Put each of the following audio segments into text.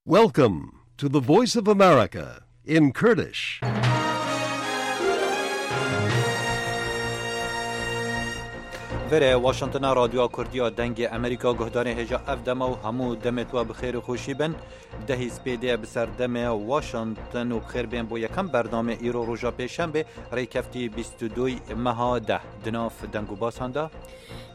Welcome to the Voice of America in Kurdish. Verê Washingtona Radyoa Kurdî ya Dengê Amerîka guhdarê hêja ev dema û hemû demê we bi xêr û xweşî bin. Dehî spêdê bi ser demê Washington û bi xêr bên bo yekem bernamê îro roja pêşembê rêkeftî 22 meha deh di nav deng û basan de.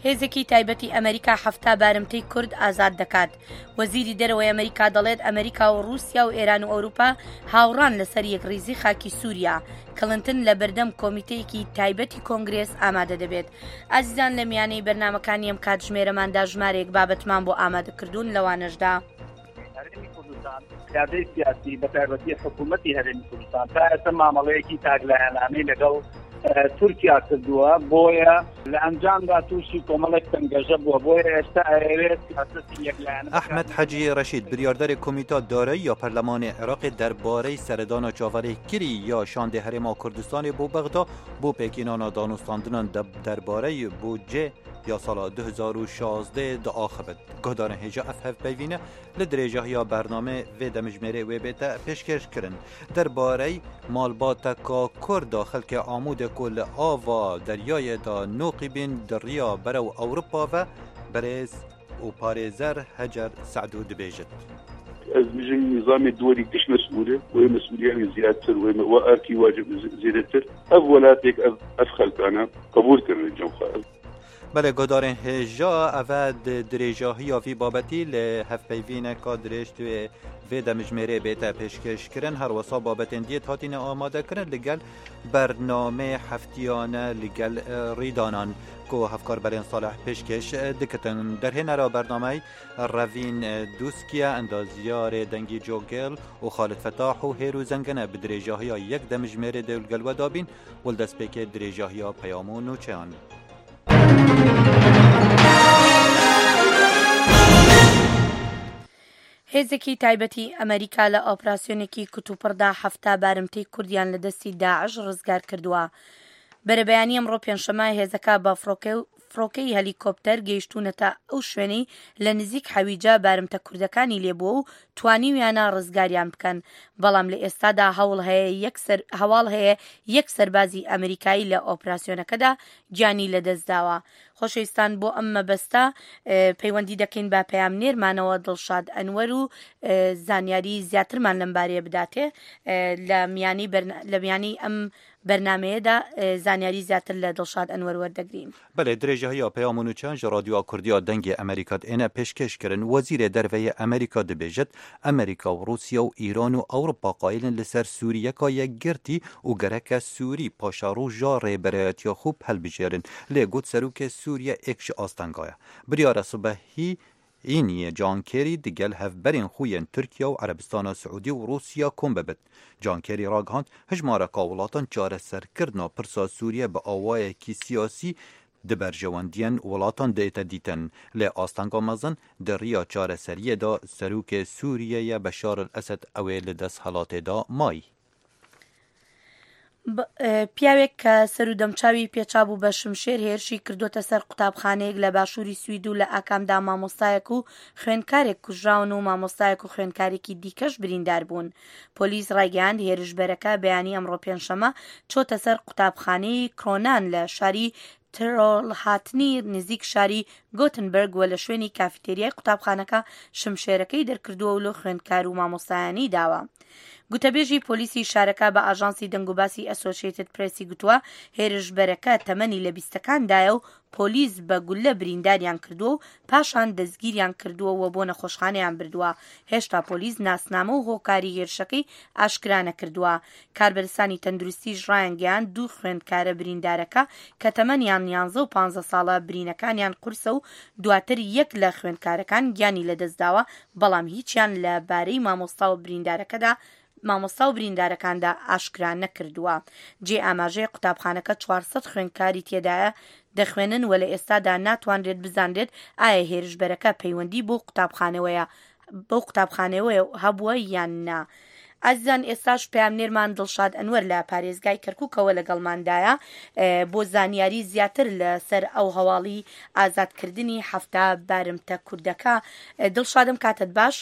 هێزێکی تایبەتی ئەمەریکا 70 بارمتەی کورد ئازاد دەکات. وەزیری دەرەوەی ئەمەریکا دەڵێت ئەمەریکا و ڕووسیا و ئێران و ئەوروپا هاوڕان لەسەر یەکڕیزی خاکی سووریا. کڵنتن لە بەردەم کۆمیتەیەکی تایبەتی کۆنگرێس ئامادە دەبێت. ئازیزان لە میانەی بەرنامەکانی ئەم کاتژمێرەماندا ژمارەیەک بابەتمان بۆ ئامادە کردوون لەوانەشدا. هەرێمی کوردستان قیادەی سیاسی بە تایبەتی حکوومەتی هەرێمی کوردستان تا ئێستا مامەڵەیەکی تاکلایەنانەی لەگەڵ تورکیا کردووە بۆیە لە ئەنجامدا تووشی کۆمەڵێک تەنگەژە بووە بۆیە ئێستا ئەیەوێت سیاسەتی یەکلایەنە ئەحمەد حەجی ڕەشید بریاردەرê Komîta Darayî ya Perlemanê Iraqê derbarey seredana çaverêkirî ya şandê Herêma Kurdistanê bo Bexda bo pêkînana danûstandinan derbarey bûdcê ya sala 2016 diaxivit. Guhdarên hêja ev hevpeyvîne li dirêjahiya bernamê vê demijmêrê wê bête pêşkêş kirin. Derbarey malbateka Kurd a xelkê Amûdê ku li ava deryayê de noqî bîn di riya berew Ewropa ve berêz û parêzer Hecer Se'dû dibêjit. Ez bijim nizamê duwelî giş mesûl e wê mesûliya wî ziyadtir wê we erkî wacib zêdetir ev welatêk ev ev xelkane qebûl kirine cem xwe. Belê guhdarên hêja ev e di dirêjahiya vî babetî li hevpeyvîneka dirêj tu ê vê demijmêrê bête pêşkêşkirin her wisa babetên diyê hatîne amadekirin li gel bernamê heftiyane li gel rîdanan ku hevkar Belên Salih pêşkêş dikitin. Derhênera bernamey Revîn Dûskiye, endazyarê Dengî Cogêl û Xalid Fetah û Hêro Zengene bi dirêjahiya yek demijmêrê dê li gel we dabîn û li destpêkê dirêjahiya peyam û nûçeyan. هێزێکی تایبەتی ئەمەریکا لە ئۆپراسیۆنێکی کوتوپڕدا 70 بارمتەی کوردیان لە دەستی داعش ڕزگار کردووە. بەرەبەیانی ئەمڕۆ پێنجشەممە هێزەکە بە فڕۆکەی هەلیکۆپتەر گەیشتوونەتە ئەو شوێنەی لە نزیک حەویجە بارمتە کوردەکانی لێبووە و توانیویانە ڕزگاریان بکەن، بەڵام لە ئێستادا هەوڵ هەیە یەک هەواڵ هەیە یەک سەربازی ئەمریکایی لە ئۆپراسیۆنەکەدا گیانی لەدەستداوە. خۆشەویستان بۆ ئەم مەبەستە پەیوەندی دەکەین بە پەیامنێرمانەوە دڵشاد ئەنوەر و زانیاری زیاترمان لەم بارەیە بداتێ لە میانی لە میانی ئەم بەرنامەیەدا زانیاری زیاتر لە دڵشاد ئەنوەر وەردەگرین. بەلێ درێژەهیا پەیام و نوچەیان ji Radyoa Kurdî ya Dengê Amerîka diêne pêşkêş kirin. Wezîrê Derve yê Amerîka dibêjit, Amerîka û Rûsya û Îran û Ewropa qayil in li ser Sûriyeka yekgirtî û gereke Sûrî paşeroja rêberayetiya xwe hilbijêrin. Lê got Serokê Sûriye êk ji astenga ye. Biryara sibehî Îniyê John Kerry digel hevberên xwe yên Tirkiye û Erebistana Siûdî û Rûsya kom bibit. John Kerry ragihand, hejmareka welatan çareserkirina pirsa Sûriye bi awayekî siyasî di berjewendiyên welatan diête dîtin. Lê astenga mezin di riya çareseriyê de Serokê Sûriyeyê Beşar el Esed ew ê li desthilatê de mayî. پیاوێک کە سەر و دەمچاوی پێچابوو بە شمشێر هێرشی کردووەتە سەر قوتابخانەیەک لە باشووری سوید و لە ئاکامدا مامۆستایەک و خوێندکارێک کوژراون و مامۆستایەک و خوێندکارێکی دیکەش بریندار بوون. پۆلیس ڕایگەیاند هێرشبەرەکە بەیانی ئەمڕۆ پێنجشەممە چۆتە سەر قوتابخانەی کرۆنان لە شاری ترۆلهاتنی نزیک شاری گۆتنبرگ و لە شوێنی کافیتێریای قوتابخانەکە شمشێرەکەی دەرکردووە و لۆ خوێندکار و مامۆستایانی داوە. گوتەبێژی پۆلیسی شارەکە بە ئاژانسی دەنگوباسی ئەسۆشێتد پرێسی گوتووە، هێرشبەرەکە تەمەنی لە بیستەکاندایە و پۆلیس بە گوللە برینداریان کردووە و پاشان دەستگیریان کردووە و بۆ نەخۆشخانەیان بردووە. هێشتا پۆلیس ناسنامە و هۆکاری هێرشەکەی ئاشکرا نەکردووە. کاربەدەستانی تەندروستیش ڕایانگەیاند دوو خوێندکارە بریندارەکە کە تەمەنیان یانزە و پانزە ساڵە برینەکانیان قورسە و دواتر یەک لە خوێندکارەکان گیانی لەدەستداوە بەڵام هیچیان لە بارەی مامۆستا و بریندارەکەدا مامۆستا و بریندارەکاندا ئاشکرا نەکردووە. جێی ئاماژەیە قوتابخانەکە 400 خوێندکاری تێدایە دەخوێنن و لە ئێستادا ناتوانرێت بزانرێت ئایا هێرشبەرەکە پەیوەندی بەو قوتابخانەوەیە بەو قوتابخانەوەیە هەبووە یان نا. ئازیزان ئێستاش پەیامنێرمان دڵشاد ئەنوەر لە پارێزگای کەرکوکەوە لەگەڵماندایە بۆ زانیاری زیاتر لەسەر ئەو هەواڵی ئازادکردنی 70 بارمتە کوردەکە. دڵشادم کاتت باش.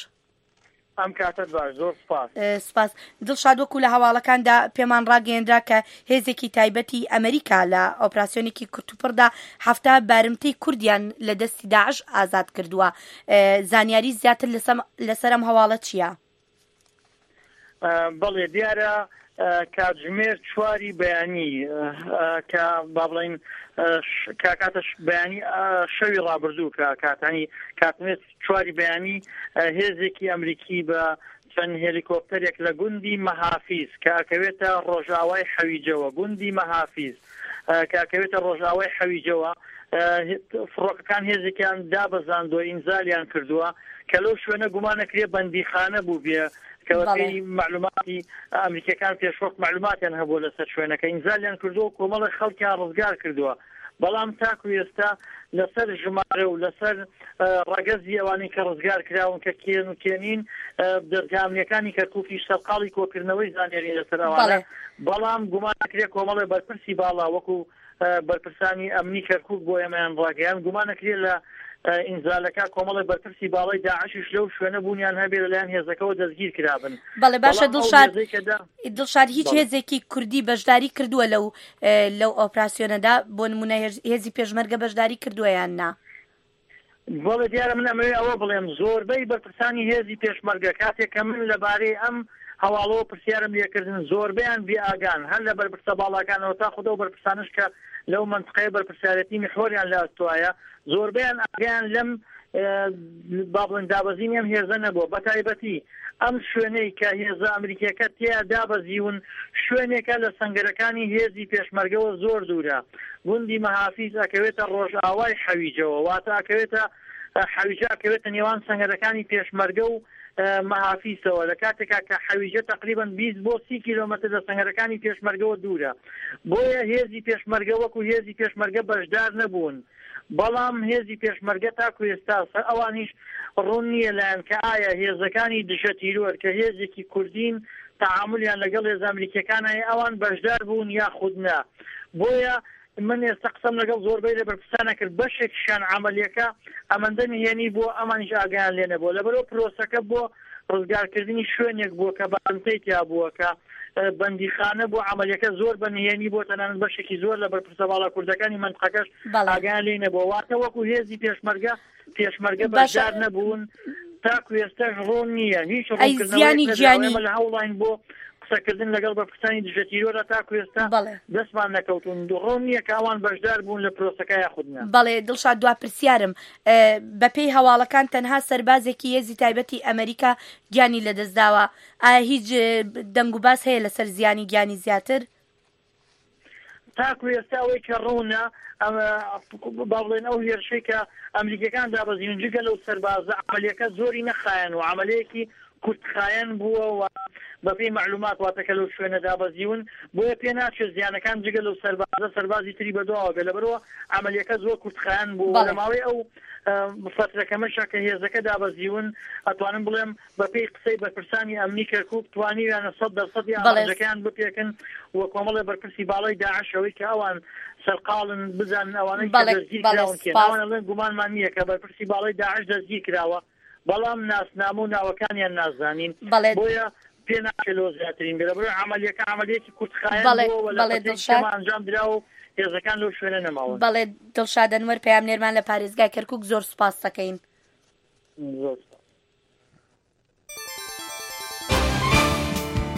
ئەم کاتەت باش زۆر سوپاس. سوپاس. دڵشاد وەکو لە هەواڵەکاندا پێمان ڕاگەیەنرا کە هێزێکی تایبەتی ئەمریکا لە ئۆپراسیۆنێکی کورتوپڕدا 70 بارمتەی کوردیان لە دەستی داعش ئازاد کردووە. زانیاری زیاتر لەسەر ئەم هەواڵە چییە؟ بەڵێ دیارە کاتژمێر چواری بەیانی کە با بڵین کاتە بەیانی شەوی ڕابردوو کە کاتانی کاتژمێر چواری بەیانی هێزێکی ئەمریکی بە چەند هێلیکۆپتەرێک لە گوندی مەهافیز کە ئەکەوێتە ڕۆژئاوای حەویجەوە گوندی مەهافیز کە ئەکەوێتە ڕۆژئاوای حەویجەوە فڕۆکەکان هێزێکیان دابەزاندووە ئینزالیان کردووە کە لەو شوێنە گومانەکرێ بەندیخانە بوو بێ کە بەپێی مەعلوماتی ئەمریکیەکان پێشوەخت مەعلوماتیان هەبووە لەسەر شوێنەکە ئینزالیان کردووە و کۆمەڵێک خەڵکیان ڕزگار کردووە بەڵام تاکو ئێستا لەسەر ژمارە و لەسەر ڕەگەزی ئەوانەی کە ڕزگار کراون کە کێن و کێنین دەزگا ئەمنیەکانی کەرکوکیش سەرقاڵی کۆکردنەوەی زانیاری لەسەر ئەوانە بەڵام گومان دەکرێت کۆمەڵێ بەرپرسی باڵا وەکو بەرپرسانی ئەمنی کەرکوک بۆ ئێمەیان ڕاگەیان گومان دەکرێت لە ئینزالەکە کۆمەڵێ بەرپرسی باڵای داعشیش لەو شوێنە بوونیان هەبێ لەلایەن هێزەکەوە دەستگیر کرابن. بەڵێ باشە دڵشاد دڵشاد هیچ هێزێکی کوردی بەشداری کردووە لەو لەو ئۆپراسیۆنەدا بۆ نمونە هێزی پێشمەرگە بەشداری کردووە یان نا؟ بەڵێ دیارە من ئەمەوێ ئەوە بڵێم زۆربەی بەرپرسانی هێزی پێشمەرگە کاتێک کە من لەبارەی ئەم هەواڵەوە پرسیارم لێکردن زۆربەیان بێئاگان هەر لە بەرپرسە باڵاکانەوە تا خود ئەو بەرپرسانەش کە لەو مەنتقەیە بەرپرسیارێتی میحوەریان لە ئەستۆایە زۆربەیان ئاگایان لەم با بڵێن دابەزینی ئەم هێزە نەبووە بەتایبەتی ئەم شوێنەی کە هێزە ئەمریکیەکە تێیا دابەزیون شوێنێکە لە سەنگەرەکانی هێزی پێشمەرگەوە زۆر دوورە گوندی مەهافیز ئەکەوێتە ڕۆژئاوای حەویجەوە واتە ئەکەوێتە حەویجە ئەکەوێتە نێوان سەنگەرەکانی پێشمەرگە و مەهافیسەوە لە کاتێکا کە حەویجە تەقریبەن 20 بۆ 30 کیلۆمەتر لە سەنگەرەکانی پێشمەرگەوە دوورە بۆیە هێزی پێشمەرگە وەکو هێزی پێشمەرگە بەشدار نەبوون بەڵام هێزی پێشمەرگە تاکو ئێستا سەر ئەوانیش ڕوون نییە لایان کە ئایا هێزەکانی دژە تیرۆر کە هێزێکی کوردین تەعامولیان لەگەڵ هێزە ئەمریکیەکان هەیە ئەوان بەشدار بوون یاخود نا بۆیە من ئێستا قسەم لەگەڵ زۆربەی لە بەرپرسانە کرد بەشێکیشیان عەمەلیەکە ئەمەندە نهێنی بووە ئەمانیش ئاگایان لێ نەبووە لەبەرئەوە پرۆسەکە بۆ ڕزگارکردنی شوێنێک بووە کە بارمتەی تیا بووە کە بەندیخانە بووە عەمەلیەکە زۆر بە نهێنی بووە تەنانەت بەشێکی زۆر لە بەرپرسە باڵا کوردەکانی مەنتقەکەش ئاگایان لێی نەبووە واتە وەکو هێزی پێشمەرگە پێشمەرگە بەشدار نەبوون تاکو ئێستاش ڕوون نییە هیچ ڕوونکردنەوەیەک نەدراوە ئێمە لە هەوڵاین بۆ قسەکردن لەگەڵ بەرپرسانی دژە تیرۆرە تاکو ئێستا دەستمان نەکەوتوون ڕوون نییە کە ئەوان بەشدار بوون لە پرۆسەکە یاخود نا. بەڵێ دڵشاد دوا پرسیارم بەپێی هەواڵەکان تەنها سەربازێکی هێزی تایبەتی ئەمریکا گیانی لەدەستداوە ئایا هیچ دەنگوباس هەیە لەسەر زیانی گیانی زیاتر؟ تاکو ئێستا ئەوەی کە ڕوونە با بڵێن ئەو هێرشەی کە ئەمریکیەکان دابەزیون جگە لەو سەربازە عەمەلیەکە زۆری نەخایەن و عەمەلەیەکی کورتخایەن بووە و بەپێی مەعلومات واتە کە لەو شوێنە دابەزیون بۆیە پێ ناچێت زیانەکان جگە لەو سەربازە سەربازی تری بەدواوە بێت لەبەرئەوە عەمەلیەکە زۆر کورتخایەن بوو و لە ماوەی ئەو فەترە کەمەشا کە هێزەکە دابەزیون ئەتوانم بڵێم بەپێی قسەی بەرپرسانی ئەمنی کەرکوک توانیویانە سەد دەرسەدی ئامانجەکەیان بپێکن و کۆمەڵێ بەرپرسی باڵای داعش ئەوەی کە ئەوان سەرقاڵن بزانن ئەوانەی کە دەستگیر کراون کێن ئەوان ئەڵێن گومانمان نییە کە بەرپرسی باڵای داعش دەستگیر کراوە بەڵام ناسنامە و ناوەکانیان نازانین بۆیە پێ ناچێت لەوە زیاترین بێت لەبەرئەوەی عەمەلیەکە عەمەلیەکی کورتخایەن بووە و لە فەترەیەکی کەما ئەنجام دراوە و هێزەکان لەو شوێنە نەماون. بەڵێ دڵشاد ئەنوەر پەیامنێرمان لە پارێزگای کەرکوک زۆر سوپاست دەکەین. زۆر سوپاس.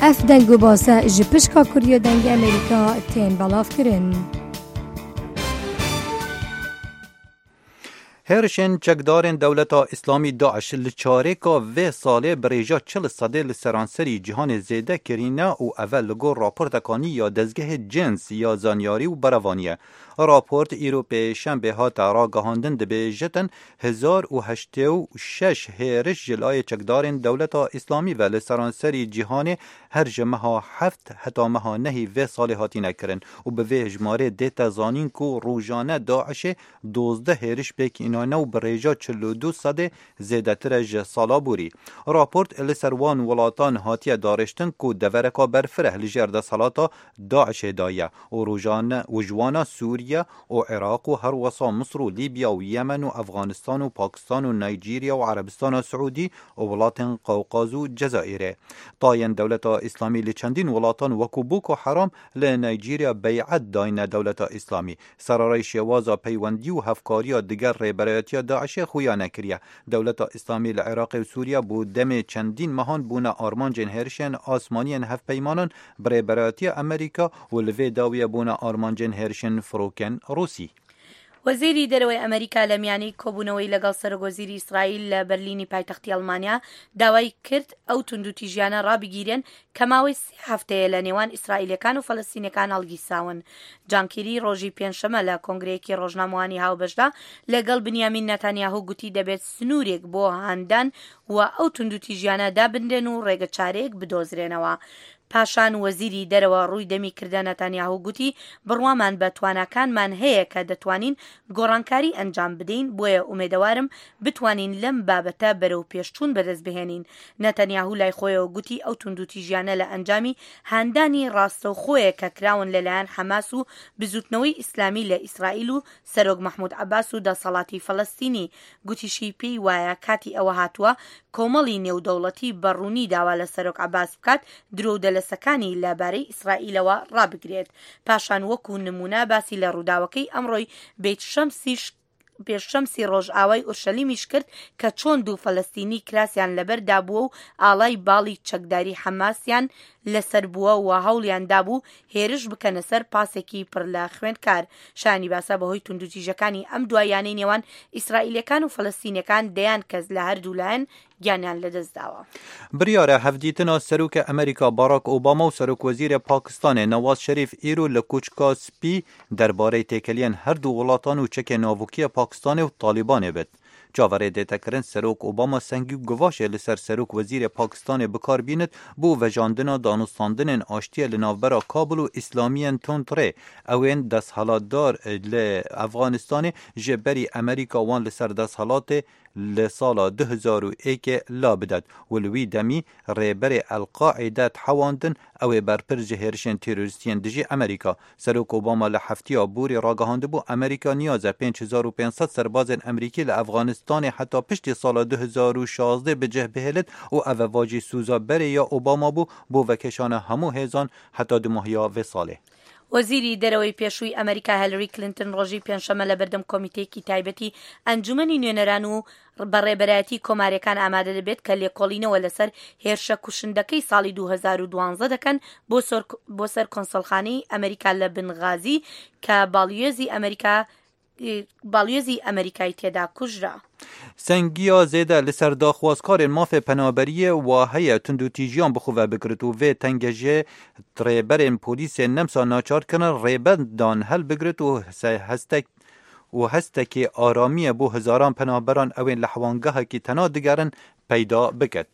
Ev deng û base ji pişka Kurdiya Dengê Amerîka tên belavkirin. Hêrişên çekdarên Dewleta Îslamî DAIŞ li çarêka vê salê bi rêja 40 sedê li seranserî cîhanê zêde kirîne û eve li gor raporteka nî ya dezgehê cins ya zanyarî û berevanî ye. Raport îro pêşembê hate ragihandin dibêjitin 1086 hêriş ji layê çekdarên Dewleta Îslamî ve li seranserî cîhanê her ji meha heft heta meha nehî vê salê hatine kirin û bi vê hejmarê dête zanîn ku rojane DAIŞ'ê 12 hêriş pêk înaye. ژنانە و bi rêja 42 sedê zêdetir e ji sala borî. Raport li ser wan welatan hatiye darêştin ku devereka berfireh li jêr desthilata DAIŞ'ê de ye û rojane û ji wana Sûriye û Iraq û her wisa Misr û Lîbya û Yemen û Efxanistan û Pakistan û Naycîrya û Erebistana Siûdî û welatên Qewqaz û Cezayîrê. Tayên Dewleta Îslamî li çendîn welatan wekû Boko Haram li Naycîrya bey'et dayne Dewleta Îslamî. Serarayî şêwaza peywendî û hevkariya digel rêberayetiya DAIŞ'ê xuya nekiriye. Dewleta Îslamî li Iraqê û Sûriye bo demê çendîn mehan bûne armancên hêrişên asmaniyên hevpeymanan bi rêberayetiya Amerîka û li vê dawiyê bûne armancên hêrişên firokên Rûsî. وەزیری دەرەوەی ئەمەریکا لە میانەی کۆبوونەوەی لەگەڵ سەرۆکوەزیری ئیسرائیل لە بەرلینی پایتەختی ئەڵمانیا داوای کرد ئەو توندوتیژیانە ڕابگیرێن کە ماوەی سێ هەفتەیە لە نێوان ئیسرائیلەکان و فەلەستینەکان هەڵگیرساون. جان کیری ڕۆژی پێنجشەمە لە کۆنگرەیەکی ڕۆژنامەوانی هاوبەشدا لەگەڵ بنیامین ناتانیاهو گوتی دەبێت سنوورێک بۆ هاندان و ئەو توندوتیژیانە دابنرێن و ڕێگەچارەیەک بدۆزرێنەوە. پاشان وەزیری دەرەوە ڕووی دەمی کردە نەتانیاهو گوتی، بڕوامان بە تواناکانمان هەیە کە دەتوانین گۆڕانکاری ئەنجام بدەین، بۆیە ئومێدەوارم بتوانین لەم بابەتە بەرەو پێشچوون بەدەست بهێنین. نەتانیاهو لای خۆیەوە گوتی ئەو توندوتیژیانە لە ئەنجامی هاندانی ڕاستەوخۆیە کە کراون لەلایەن حەماس و بزوتنەوەی ئیسلامی لە ئیسرائیل و سەرۆک مەحمود عەباس و دەسەڵاتی فەلەستینی، گوتیشی پێی وایە کاتی ئەوە هاتووە کۆمەڵی نێودەوڵەتی بە ڕوونی داوا لە سەرۆک عەباس بکات درۆ و دەلەسەکانی لە بارەی ئیسرائیلەوە ڕابگرێت. پاشان وەکو نموونە باسی لە ڕووداوەکەی ئەمڕۆی بەیت شەمسیش شەمسی ڕۆژئاوای ئورشەلیمیش کرد کە چۆن دوو فەلەستینی کراسیان لەبەر دابووە و ئاڵای باڵی چەکداری حەماسیان لەسەر بووە و هەوڵیان دابوو هێرش بکەنە سەر پاسێکی پڕ لە خوێندکار. شایانی باسە بەهۆی توندوتیژەکانی ئەم دواییانەی نێوان ئیسرائیلیەکان و فەلەستینیەکان دەیان کەس لە هەردوو لایەن گیانیان لەدەستداوە. بڕیارە هەڤدیتنا سەرۆکê Amerîka Barack Obama û Serokwezîrê Pakistanê Nawaz Şerîf îro li Koçka Spî derbarey têkeliyên her du welatan û çekê navokî Pakistanê û Talîbanê bit. Çaverê dête kirin Serok Obama sengî û givaşê li ser Serok Wezîrê Pakistanê bikar bînit bo vejandina danûstandinên aştiyê li navbera Kabul û Îslamiyên tundrê ew ên desthilatdar li Efxanistanê ji berî Amerîka wan li ser desthilatê li sala 2001ê la bidet û li wî demî rêberê El Qaîde dihewandin ew ê berpirs ji hêrişên terorîstiyên dijî Amerîka. Serok Obama li heftiya borî ragihandibû Amerîka niyaz e 5500 serbazên Amerîkî li Efxanistanê heta piştî sala 2016 bi cih bihêlit û ev eva jî soza berê ya Obama bû bo vekêşana hemû hêzan heta di mehiya vê salê. وەزیری دەرەوەی پێشووی ئەمەریکا هێلری کلینتن ڕۆژی پێنجشەممە لە بەردەم کۆمیتەیەکی تایبەتی ئەنجومەنی نوێنەران و بە ڕێبەرایەتی کۆماریەکان ئامادە دەبێت کە لێکۆڵینەوە لەسەر هێرشە کوشندەکەی ساڵی 2012 دەکەن بۆ سەر کۆنسۆڵخانەی ئەمریکا لە بنغازی کە باڵیۆزی ئەمریکا باڵیۆزی ئەمریکای تێدا کوژرا. سەنگیا زێدە li ser daxwazkarên mafê penaberiyê wa heye tundûtîjiyan bi xwe ve bigirit û vê tengejê rêberên polîsên Nemsa naçar kirin rêbendan helbigirit û hestek û hestekê aramiyê bo hezaran penaberan ew ên li hewangehekî tena digerin peyda biket.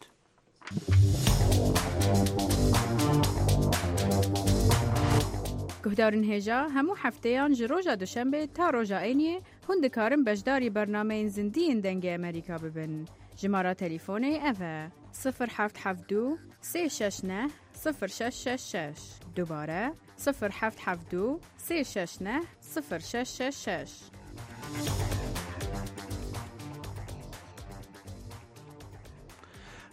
Guhdarên hêja hemû hefteyan ji roja duşembê ta roja îniyê hûn dikarin beşdarî bernameyên zindî yên Dengê Amerîka bibin. Jimara telîfonê ev e: 0772 369 0666. Dubare 0772 369 0666.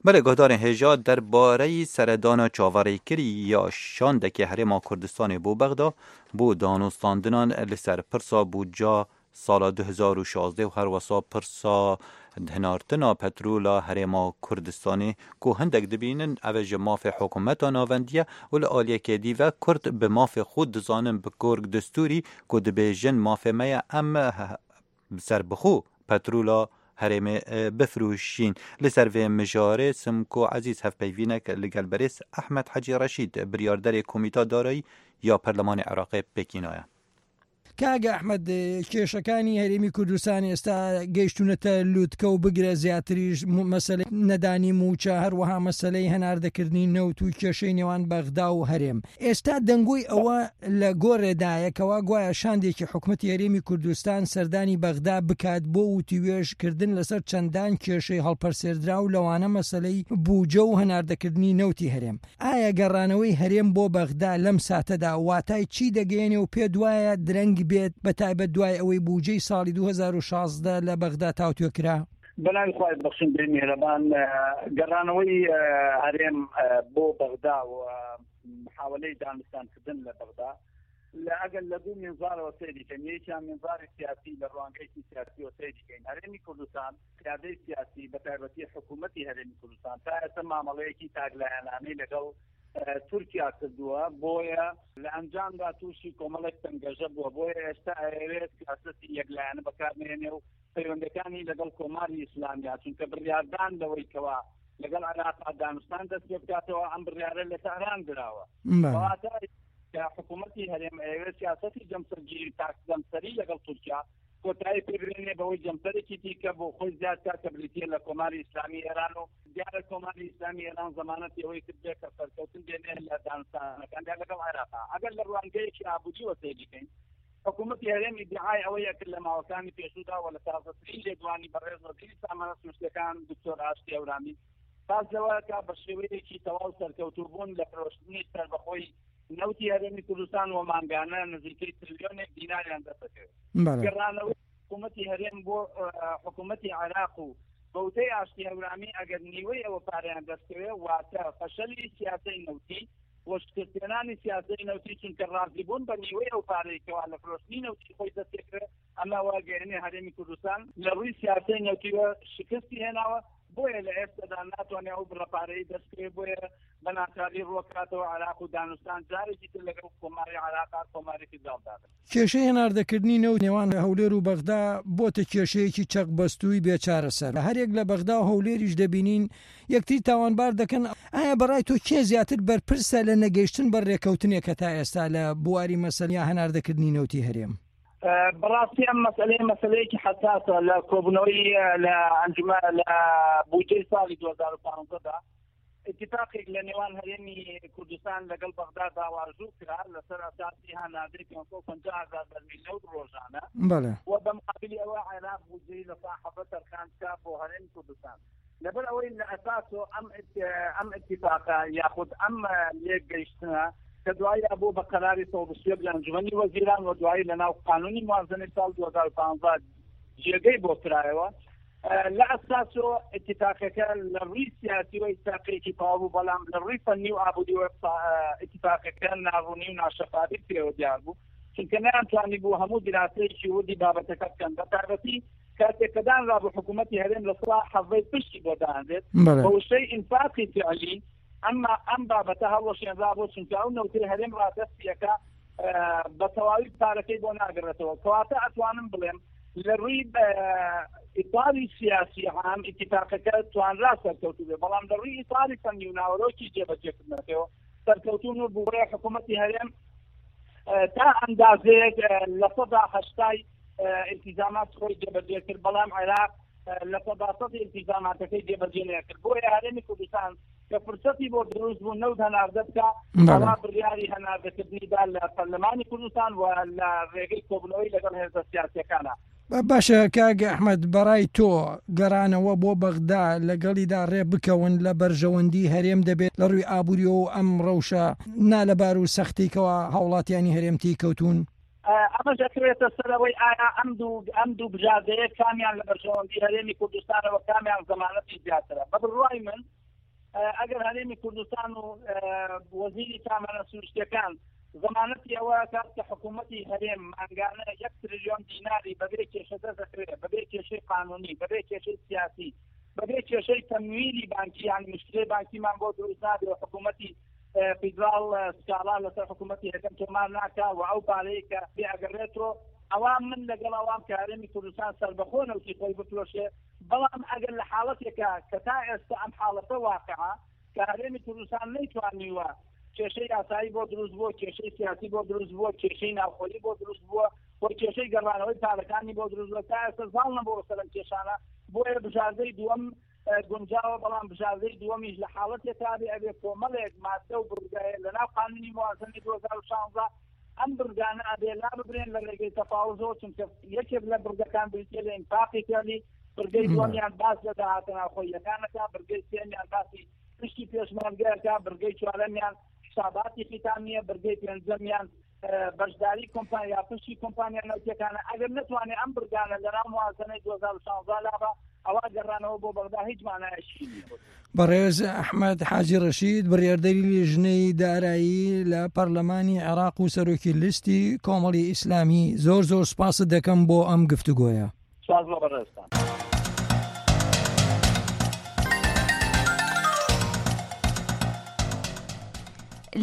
Belê guhdarên hêja derbareyî seredana çaverêkirî ya şandekê Herêma Kurdistanê bo Bexda bo danûstandinan li ser pirsa bûdca sala 2016 û herwesa pirsa hinartina petrola Herêma Kurdistanê ku hindek dibînin ev ji mafê hikûmeta navendiye û li aliyekê dî ve Kurd bi mafê xwe dizanin bi gorg destûrî ku dibêjin mafê me ye em serbixwe petrola herêmê bifroşîn. Li ser vê mijarê Simko Ezîz hevpeyvînek li gel berêz Ehmed Hecî Reşîd biryarderê Komîta Darayî ya Perlemanê Iraqê pêkînaye. کاک ئەحمەد کێشەکانی هەرێمی کوردستان ئێستا گەیشتونەتە لوتکە و بگرە زیاتریش مەسەلەی نەدانی مووچە هەروەها مەسەلەی هەناردەکردنی نەوت و کێشەی نێوان بەغدا و هەرێم ئێستا دەنگۆی ئەوە لە گۆڕێدایە کەوا گوایە شاندێکی حکومەتی هەرێمی کوردستان سەردانی بەغدا بکات بۆ وتوێژ کردن لەسەر چەندان کێشەی هەڵپەرسێردراو لەوانە مەسەلەی بوجە و هەناردەکردنی نەوتی هەرێم. ئایا گەڕانەوەی هەرێم بۆ بەغدا لەم ساتەدا واتای چی دەگەیەنێ و پێت وایە درەنگ بێت بەتایبەت دوای ئەوەی بوجەی ساڵی 2016 لە بەغدا تاوتوێ کرا؟ بەناوی خوای بەخشندەی میهرەبان گەڕانەوەی هەرێم بۆ بەغدا و محاولەی دانوستانکردن لە بەغدا لە ئەگەر لە دوو مینزارەوە سەیری کەین یەکیان مینزاری سیاسی لە ڕوانگەیەکی سیاسیەوە سەیری کەین هەرێمی کوردستان قیادەی سیاسی بە تایبەتی حکوومەتی هەرێمی کوردستان تا ئێستا مامەڵەیەکی تاکلایەنانەی لەگەڵ تورکیا کردووە بۆیە لە ئەنجامدا تووشی کۆمەڵێک تەنگەژە بووە بۆیە ئێستا ئەیەوێت سیاسەتی یەکلایەنە بەکارنێنێ و پەیوەندەکانی لەگەڵ کۆماری ئیسلامیا چونکە بڕیاردان لەوەی کەوا لەگەڵ عێراق دانوستان دەست پێ بکاتەوە ئەم بڕیارە لە تاران دراوە کەواتە کە حکوومەتی هەرێم ئەیەوێت سیاسەتی جەمسەرگیری تاک جەمسەری لەگەڵ تورکیا کۆتایی پێ بێنێ بەوەی جەمسەرێکی دیکە بۆ خۆی زیاد بکات کە بریتییە لە کۆماری ئیسلامی ئێران و دیارە کۆماری ئیسلامی ئێران زەمانەتی ئەوەی کردبێ کە سەرکەوتن بێنێ لە دانوستانەکاندا لەگەڵ عێراق. ئەگەر لە ڕوانگەیەکی ئابوورییەوە سەیری کەین، حکوومەتی هەرێم ئیدیعای ئەوەی ئەکرد لە ماوەکانی پێشوودا و لە تازەترین لێدوانی بەڕێز وەزیری سامانە سروشتییەکان دکتۆر ئاشتی هەورامی باس لەوە ئەکا بە شێوەیەکی تەواو سەرکەوتوو بوون لە فرۆشتنی سەربەخۆی نەوتی هەرێمی کوردستان و مانگانە نزیکەی ترلیۆنێک دیناریان دەستدەکەوێت. گەڕانەوەی حکوومەتی هەرێم بۆ حکوومەتی عێراق و بەوتەی ئاشتی هەورامی ئەگەر نیوەی ئەوە پارەیان دەستکەوێت واتە فەشەلی سیاسەی نەوتی و شکستهێنانی سیاسەی نەوتی چونکە ڕازیبوون بە نیوەی ئەو پارەی کەوا لە فرۆشتنی نەوتی خۆی دەستپێکرێت ئەمە وا گەیەنێ هەرێمی کوردستان لە ڕووی سیاسەی نەوتیوە شکستی هێناوە بۆیە لە ئێستەدا ناتوانێت ئەو بڕە پارەی دەست بکەوێت بۆیە بە ناچاری ڕووەکاتەوە عێراق و دانوستان جارێکی تر لەگەڵ کۆماری عێراق کۆماری فیدراڵدا بن. کێشەی هەناردەکردنی نەوت نێوان هەولێر و بەغدا بۆتە کێشەیەکی چەقبەستووی بێ چارەسەر، هەریەک لە بەغدا و هەولێریش دەبینین یەکتری تاوانبار دەکەن، ئایا بەڕای تۆ کێ زیاتر بەرپرسە لە نەگەیشتن بە رێککەوتنێک هەتا ئێستا لە بواری مەسەلەی هەناردەکردنی نەوتی هەرێم؟ بەڕاستی ئەم مەسەلەیە مەسەلەیەکی حەساسە لە کۆبوونەوەی لە ئەنجومە لە بودجەی ساڵی 2015 دا اتفاقێک لە نێوان هەرێمی کوردستان لەگەڵ بەغدا داواژوو کرا لەسەر ئەساسی هەناردەی 550 هەزار بەرمیل نەوت ڕۆژانە بەڵێ و بە مقابلی ئەوە عێراق بودجەی لە سا حەڤدە تەرخان بکا بۆ هەرێمی کوردستان لەبەر ئەوەی لە ئەساسۆ ئەم ئەم اتفاقە یاخود ئەم لێک گەیشتنە کە دوایی بوو بە قەراری 121 لە ئەنجومەنی وەزیران و دوایی لە ناو قانونی موازنەی ساڵ 2015 جێگەی بۆ کرایەوە لە ئەساسۆ اتفاقەکە لە ڕووی سیاسی و اتفاقێکی تەواو بوو بەڵام لە ڕووی فەنی و ئابووری و اتفاقەکە ناڕوونی و ناشەفافی پێوە دیار بوو چونکە نەیانتوانی بوو هەموو دراسەیەکی وردی بابەتەکە بکەن بە تایبەتی کاتێک کە دانرابوو حکوومەتی هەرێم لە سڵا حەڤەی پشتی بۆ دانرێت بە وشەی ئینفاقی فعلی ئەمما ئەم بابەتە هەڵوەشێنرا بۆ چونکە ئەو نەوتەی هەرێم ڕادەستیەکە بە تەواوی پارەکەی بۆ ناگەڕێتەوە کەواتە ئەتوانم بڵێم لە ڕووی ئیتاری سیاسی عام ئیتفاقەکە توانرا سەرکەوتوو بێ بەڵام لە ڕووی ئیتاری فەنی و ناوەرۆکی جێبەجێکردنەکەەوە سەرکەوتوون و بووە حکوومەتی هەرێم تا ئەندازەیەک لە سەدا هەشتای ئیلتیزامات خۆی جێبەجێ کرد بەڵام عێراق لە سەدا سەدی ئیلتیزاماتەکەی جێبەجێ نەکرد بۆیە هەرێمی کوردستان کە فرسەتی بۆ دروست بوو نەوت هەناردە بکە ئەوا بڕیاری هەناردەکردنی دا لە پەرلەمانی کوردستان و لە ڕێگەی کۆبوونەوەی لەگەڵ هێزە سیاسیەکانە. باشە کاک ئەحمەد بەڕای تۆ گەڕانەوە بۆ بەغدا لەگەڵیدا ڕێ بکەون لە بەرژەوەندی هەرێم دەبێت لە ڕووی ئابووریەوە و ئەم ڕەوشە نالەبار و سەختەی کەوا هاوڵاتیانی هەرێم تێی کەوتوون؟ ئەمەش ئەکەوێتە سەر ئەوەی ئایا ئەم دوو ئەم دوو بژاردەیە کامیان لە بەرژەوەندی هەرێمی کوردستانەوە کامیان زەمانەتی زیاترە بە بڕوای من ئەگەر هەرێمی کوردستان و وەزیری سامانە سروشتیەکان زەمانەتی ئەوە کات کە حکوومەتی هەرێم مانگانە یەک تریلیۆن دیناری بەبێ کێشە دەست دەکەوێت بەبێ کێشەی قانونی بەبێ کێشەی سیاسی بەبێ کێشەی تەمویلی بانکی یان مشکلەی بانکیمان بۆ دروست نابێ و حکوومەتی فیدراڵ سکاڵا لەسەر حکوومەتی هەرێم تۆمار ناکا و ئەو پارەی کە پێ ئەگەڕێتەوە ئەوا من لەگەڵ ئەوام کە هەرێمی کوردستان سەربەخۆ نەوتی خۆی بفرۆشێ بەڵام ئەگەر لە حاڵەتێکا کە تا ئێستا ئەم حاڵەتە واقعە کە هەرێمی کوردستان نەیتوانیوە کێشەی یاسایی بۆ دروست بووە کێشەی سیاسی بۆ دروست بووە کێشەی ناوخۆیی بۆ دروست بووە. و کێشەی گەڕانەوەی پارەکانی بۆ دروست بووە تا ئێستا زاڵ نەبووە سەر ئەم کێشانە بۆیە بژاردەی دووەم گونجاوە بەڵام بژاردەی دووەمیش لە حاڵەتێکا بێ ئەبێ کۆمەڵێک ماددە و بڕگە لەناو قانونی موازنەی 2016 ئەم بڕگانە ئەبێ لا ببرێن لە ڕێگەی تەفاوزەوە چونکە یەکێک لە بڕگەکان بریتیە لە ئینفاقی فعلی بڕگەی دووەمیان باس لە داهاتە ناوخۆییەکانەکە بڕگەی سێمیان باسی پشتی پێشمەرگەکە بڕگەی چوارەمیان حساباتی ختامیە بڕگەی پێنجەمیان بەشداری کۆمپانیا پشتی کۆمپانیا نەوتیەکانە ئەگەر نەتوانێت ئەم بڕگانە لەناو موازنەی 2016 لابا ئەوا گەڕانەوە بۆ بەغدا هیچ مانایەکی نییە. بەڕێز ئەحمەد حاجی ڕەشید بڕیاردەری لیژنەی دارایی لە پەرلەمانی عێراق و سەرۆکی لیستی کۆمەڵی ئیسلامی زۆر زۆر سوپاست دەکەم بۆ ئەم گفتوگۆیە. سوپاس بۆ بەڕێزتان.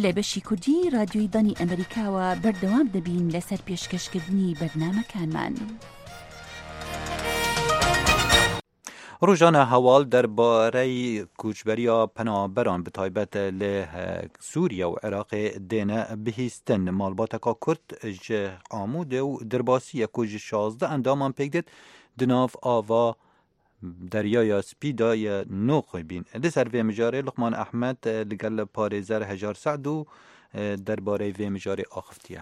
لە بەشی کوردی رادیۆی دەنگی ئەمریکاوە بەردەوام دەبین لەسەر پێشکەشکردنی بەرنامەکانمان. ڕۆژانە هەواڵ دەربارەی کوچبەرییا پەنابەران bi taybet li Sûriye û Iraqê dêne bihîstin. Malbateka Kurd ji Amûdê û Dirbasiyê ku ji 16 endaman pêk dêt di nav ava Deryaya Spî de ye noqibîn. Li ser vê mijarê Luqman Ehmed li gel parêzer Hejar Se'dû derbarey vê mijarê axiftiye.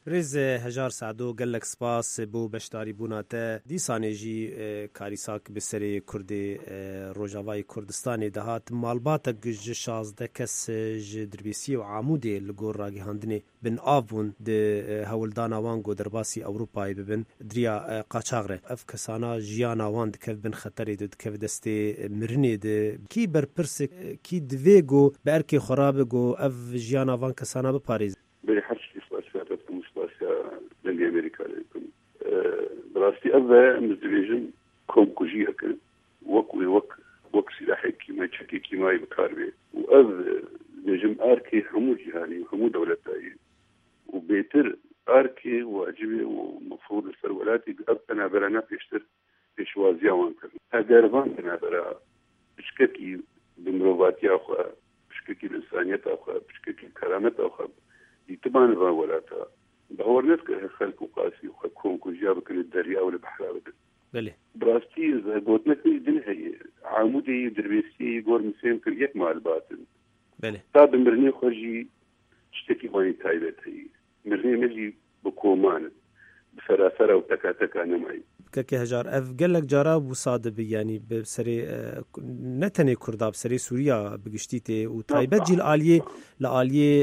Birêz Hejar Se'do gelek spas bo beşdarîbûna te. Dîsanê jî karîsak bi serê Kurdê Rojavayê Kurdistanê dihat. Malbatek ji 16 kes ji Dirbêsiyê û Amûdê li gor ragihandinê bin av bûn di hewldana wan ku derbasî Ewropayê bibin diriya qaçax re. Ev kesana jiyana wan dikev bin xeterê de, dikev destê mirinê de. Kî berpirs e, kî divê ku bi erkê xwe rabe ku ev jiyana van kesana biparêze? Berî her tiştî spasiya te dikim û spasiya Dengê Amerîka lê dikim. Bi rastî ev ve em dibêjin komkujiyek e wek wê wek wek sîlahê kîmayî çekê kîmayî bi kar bê û ev dibêjim erkê hemû cîhanî û hemû dewletayî û bêtir erkê wacibê û mefrûd li ser welatî ev penaberana pêştir pêşwaziya wan kirin. Eger van penabera piçkekî bi mirovatiya xwe, piçkekî bi însaniyeta xwe, piçkekî bi kerameta xwe dîtiban li van welata, bawer nedikir her xelk û qasî xwe komkujiya bikin li derya û li behra bidin. Belê. Bi rastî gotinek min jî din heye. Amûdê yî û Dirbêsiyê yî gor min fêm kir yek malbat in. Belê. Ta bi mirinê xwe jî tiştekî wan ê taybet heye. Mirinê me jî bi koman in, bi serasera û teka teka nemayî. Kekê Hejar, ev gelek cara wisa dibi yanî bi serê ne tenê Kurda bi serê Sûriya bi giştî tê û taybet jî li aliyê li aliyê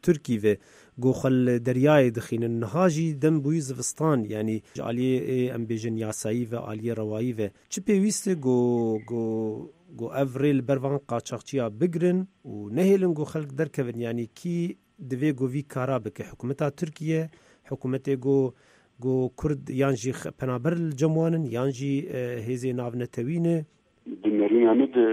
Tirkî ve ku xwe li deryayê dixînin. Niha jî dem bûyî zivistan yanî ji aliyê em bêjin yasayî ve aliyê rewayî ve çi pêwîst e ku ku ku ev rê li ber van qaçaxçiya bigirin û nehêlin ku xelk derkevin yanî kî Divê ku vî kara bike. Hikûmeta Tirkiye, hikûmetê ku ku Kurd yan jî penaber li cem wan in yan jî hêzê navnetewî ne. Di nerîna min de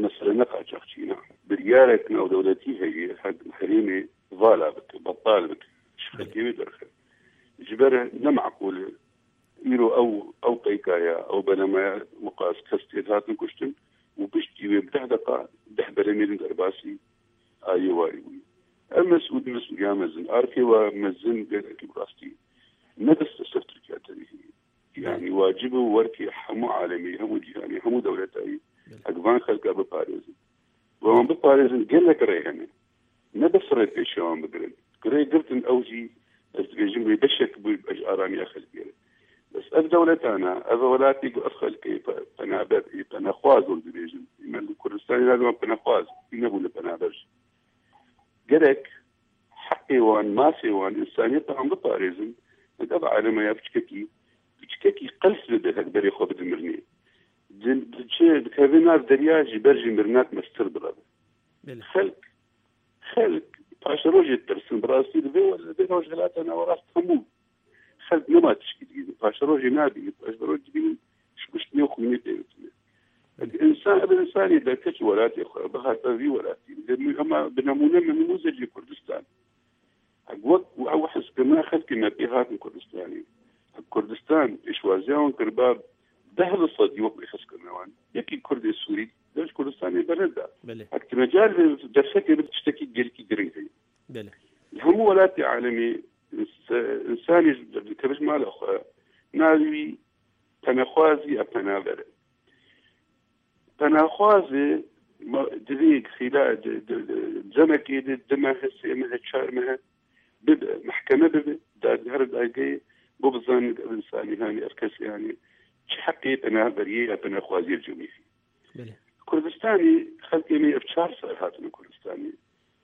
mesele ne qaçaxçî ne. Biryarek navdewletî heye herêmê vala bike, betal bike, ji xelkê wê derxe. Ji ber ne maqûl e îro ew ew peykaya, ew belemaya wiqas kes tê dihatin kuştin û piştî wê bi deh deqa deh beremê din derbasî aliyê warî bûye. Ev mesûl mesûliya mezin, arkê we mezin gelekî bi rastî ne bes li ser Tirkiya tenê heye. Yanî wacib e werkê hemû alemê, hemû cîhanê, hemû dewletayê hek van xelka biparêzin. Ve wan biparêzin gelek rê hene. Ne bes rê pêşiya wan bigirin. Rê girtin ew jî ez dibêjim wê beşek bû ji aramiya xelkê re. Bes ev dewletana, ev welatê ku ev xelkê penaber ê penaxwaz wek dibêjin. Me li Kurdistanê navê wan penaxwaz nebûne penaber jî. Gerek heqê wan, mafê wan, însaniyeta wan biparêzin. Nek ev alema ya piçkekî piçkekî qels bibe hek berê xwe bide mirinê. Diçe dikeve nav derya ji ber jî mirinak mestir direve. Xelk xelk paşerojê ditirsin bi rastî li vê li vê rojhilata nawerast hemû xelk nema tişkî digînin paşerojê nabînin paşeroj dibînin ji kuştinê û xwînê pê bitine insan ev insanê derket ji welatê xwe bihata vî welatî hema bi nemûne min nimûzecê Kurdistan wek ew hizkirina xelkê me pê hatin Kurdistanê Kurdistan pêşwaziya wan kiriba deh li sedî wek wê hizkirina wan yekî Kurdê Sûrî Dev ji Kurdistanê berneda. Belê. Hek tu mecal derfetê bi tiştekî gelekî giring heye. Belê. Li Li hemû welatê alemê însanê ji derdikeve ji mala xwe navê wî penaxwazî ya penaber e. Penaxwazê divê xîla demekê de du mehe, sê mehe, çar mehe bibe mehkeme bibe her dadgehê bo bizanin ev însanî hanê ev kesê hanê çi heqê penaberiyê ya penaxwaziyê li cem heye. Kurdistanê xelkê me ev çar sal hatine Kurdistanê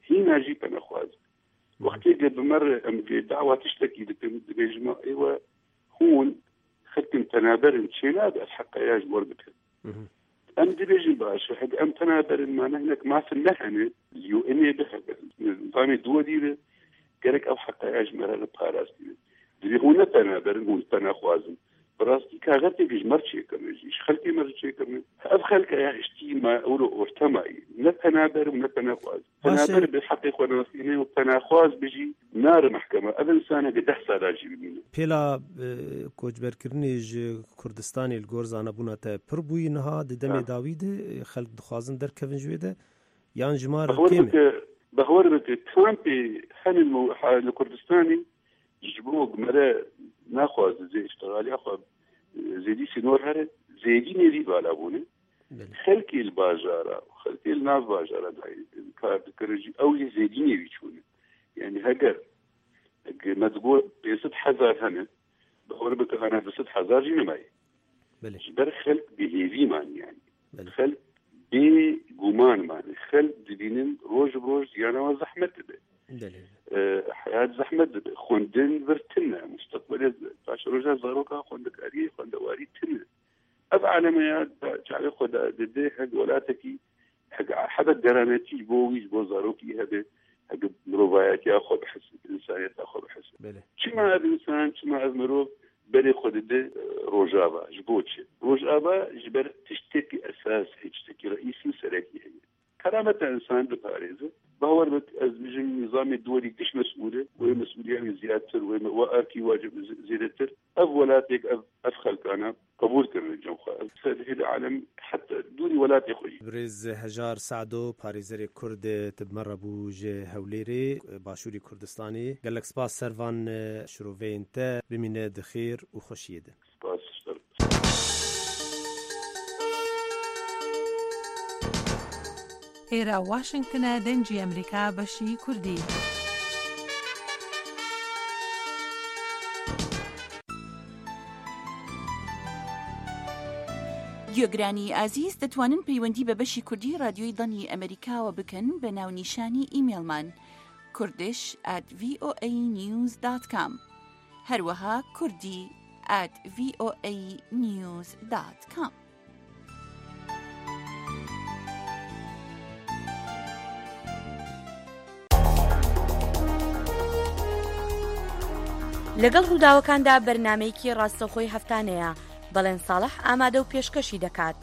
hîna jî penaxwaz wextê ge bi me re em ge dawa tiştekî dikin dibêjin ma êwe hûn xelkên penaber in çênabe ev heqa ya ji wer bikin. Em dibêjin baş e hege em penaber in mane hinek mafin me hene li UNê bi hebe nizamê duwelî be gerek ew heqa ya ji me re parastî be. Divê hûn ne penaber in hûn penaxwaz in. Bi rastî kaxetêk ji me re çêkirine jî ji xelkê me re çêkirine. Ev xelka ya hiştî ma ewro orte mayî ne penaber û ne penaxwaz. Penaber bi heqê xwe nasîne û penaxwaz bijî nare mehkeme. Ev însan heke deh sala jî bimîne. Pêla koçberkirinê ji Kurdistanê li gor zanebûna te pir bûyî niha di demê dawî de xelk dixwazin derkevin ji wê de yan ji ma re kêm e? Behwer bike kampê hene li Kurdistanê ji bo mere naxwaze zê îştixaliya xwe zêdî sînor here zêdî nêzî vala bûne. Xelkê li bajara û xelkê li nav bajara kar dikirin jî ew jî zêdînê wî çûne. Yanî heger me digot 500 hezar hene bawer bike ana 200 hezar jî nemayê. Ji ber xelk bêhêvî man yanî. Xelk bê guman man. Xelk dibînin roj bi roj jiyana wan zehmet dibe. Heyat zehmet dibe. Xwendin vir tune. Mustaqbalê paşeroja zaroka xwendekariyê xwendewarî tune. Ev alemeya çavê xwe dide heg welatekî heg hebe deranetî ji bo wî ji bo zarokî hebe heg mirovayetiya xwe bihise însaniyeta xwe bihise. Çima ev însan çima ev mirov berê xwe dide Rojava ji bo çi? Rojava ji ber tiştekî esas heye tiştekî reîsî û serekî heye. Kerameta însan diparêze. Bawer bik ez dibêjim nîzamê duwelî giş mesûl e wê mesûliya wî ziyadtir wê we erkî wacib zêdetir. Ev welatêk ev ev xelkana qebûl kirine cem xwe. Ev serhêlê alem heta dûrî welatê xwe jî. Birêz Hejar Sedo, parêzerê Kurd tu bi me re bû ji Hewlêrê, Başûrê Kurdistanê. Gelek spas ser van şiroveyên te. Bimîne di xêr û xweşiyê de. Spas ji te re. Êra Washington e Dengê Amerîka beşî Kurdî. گوێگرانی ئازیز دەتوانن پەیوەندی بە بەشی کوردی ڕادیۆی دەنگی ئەمەریکاوە بکەن بە ناونیشانی ئیمێڵمان Kurdish at VOA News dot com هەروەها کوردی at VOA News dot com. لەگەڵ ڕووداوەکاندا بەرنامەیەکی ڕاستەوخۆی هەفتانەیە، بەڵێن ساڵح ئامادە و پێشکەشی دەکات.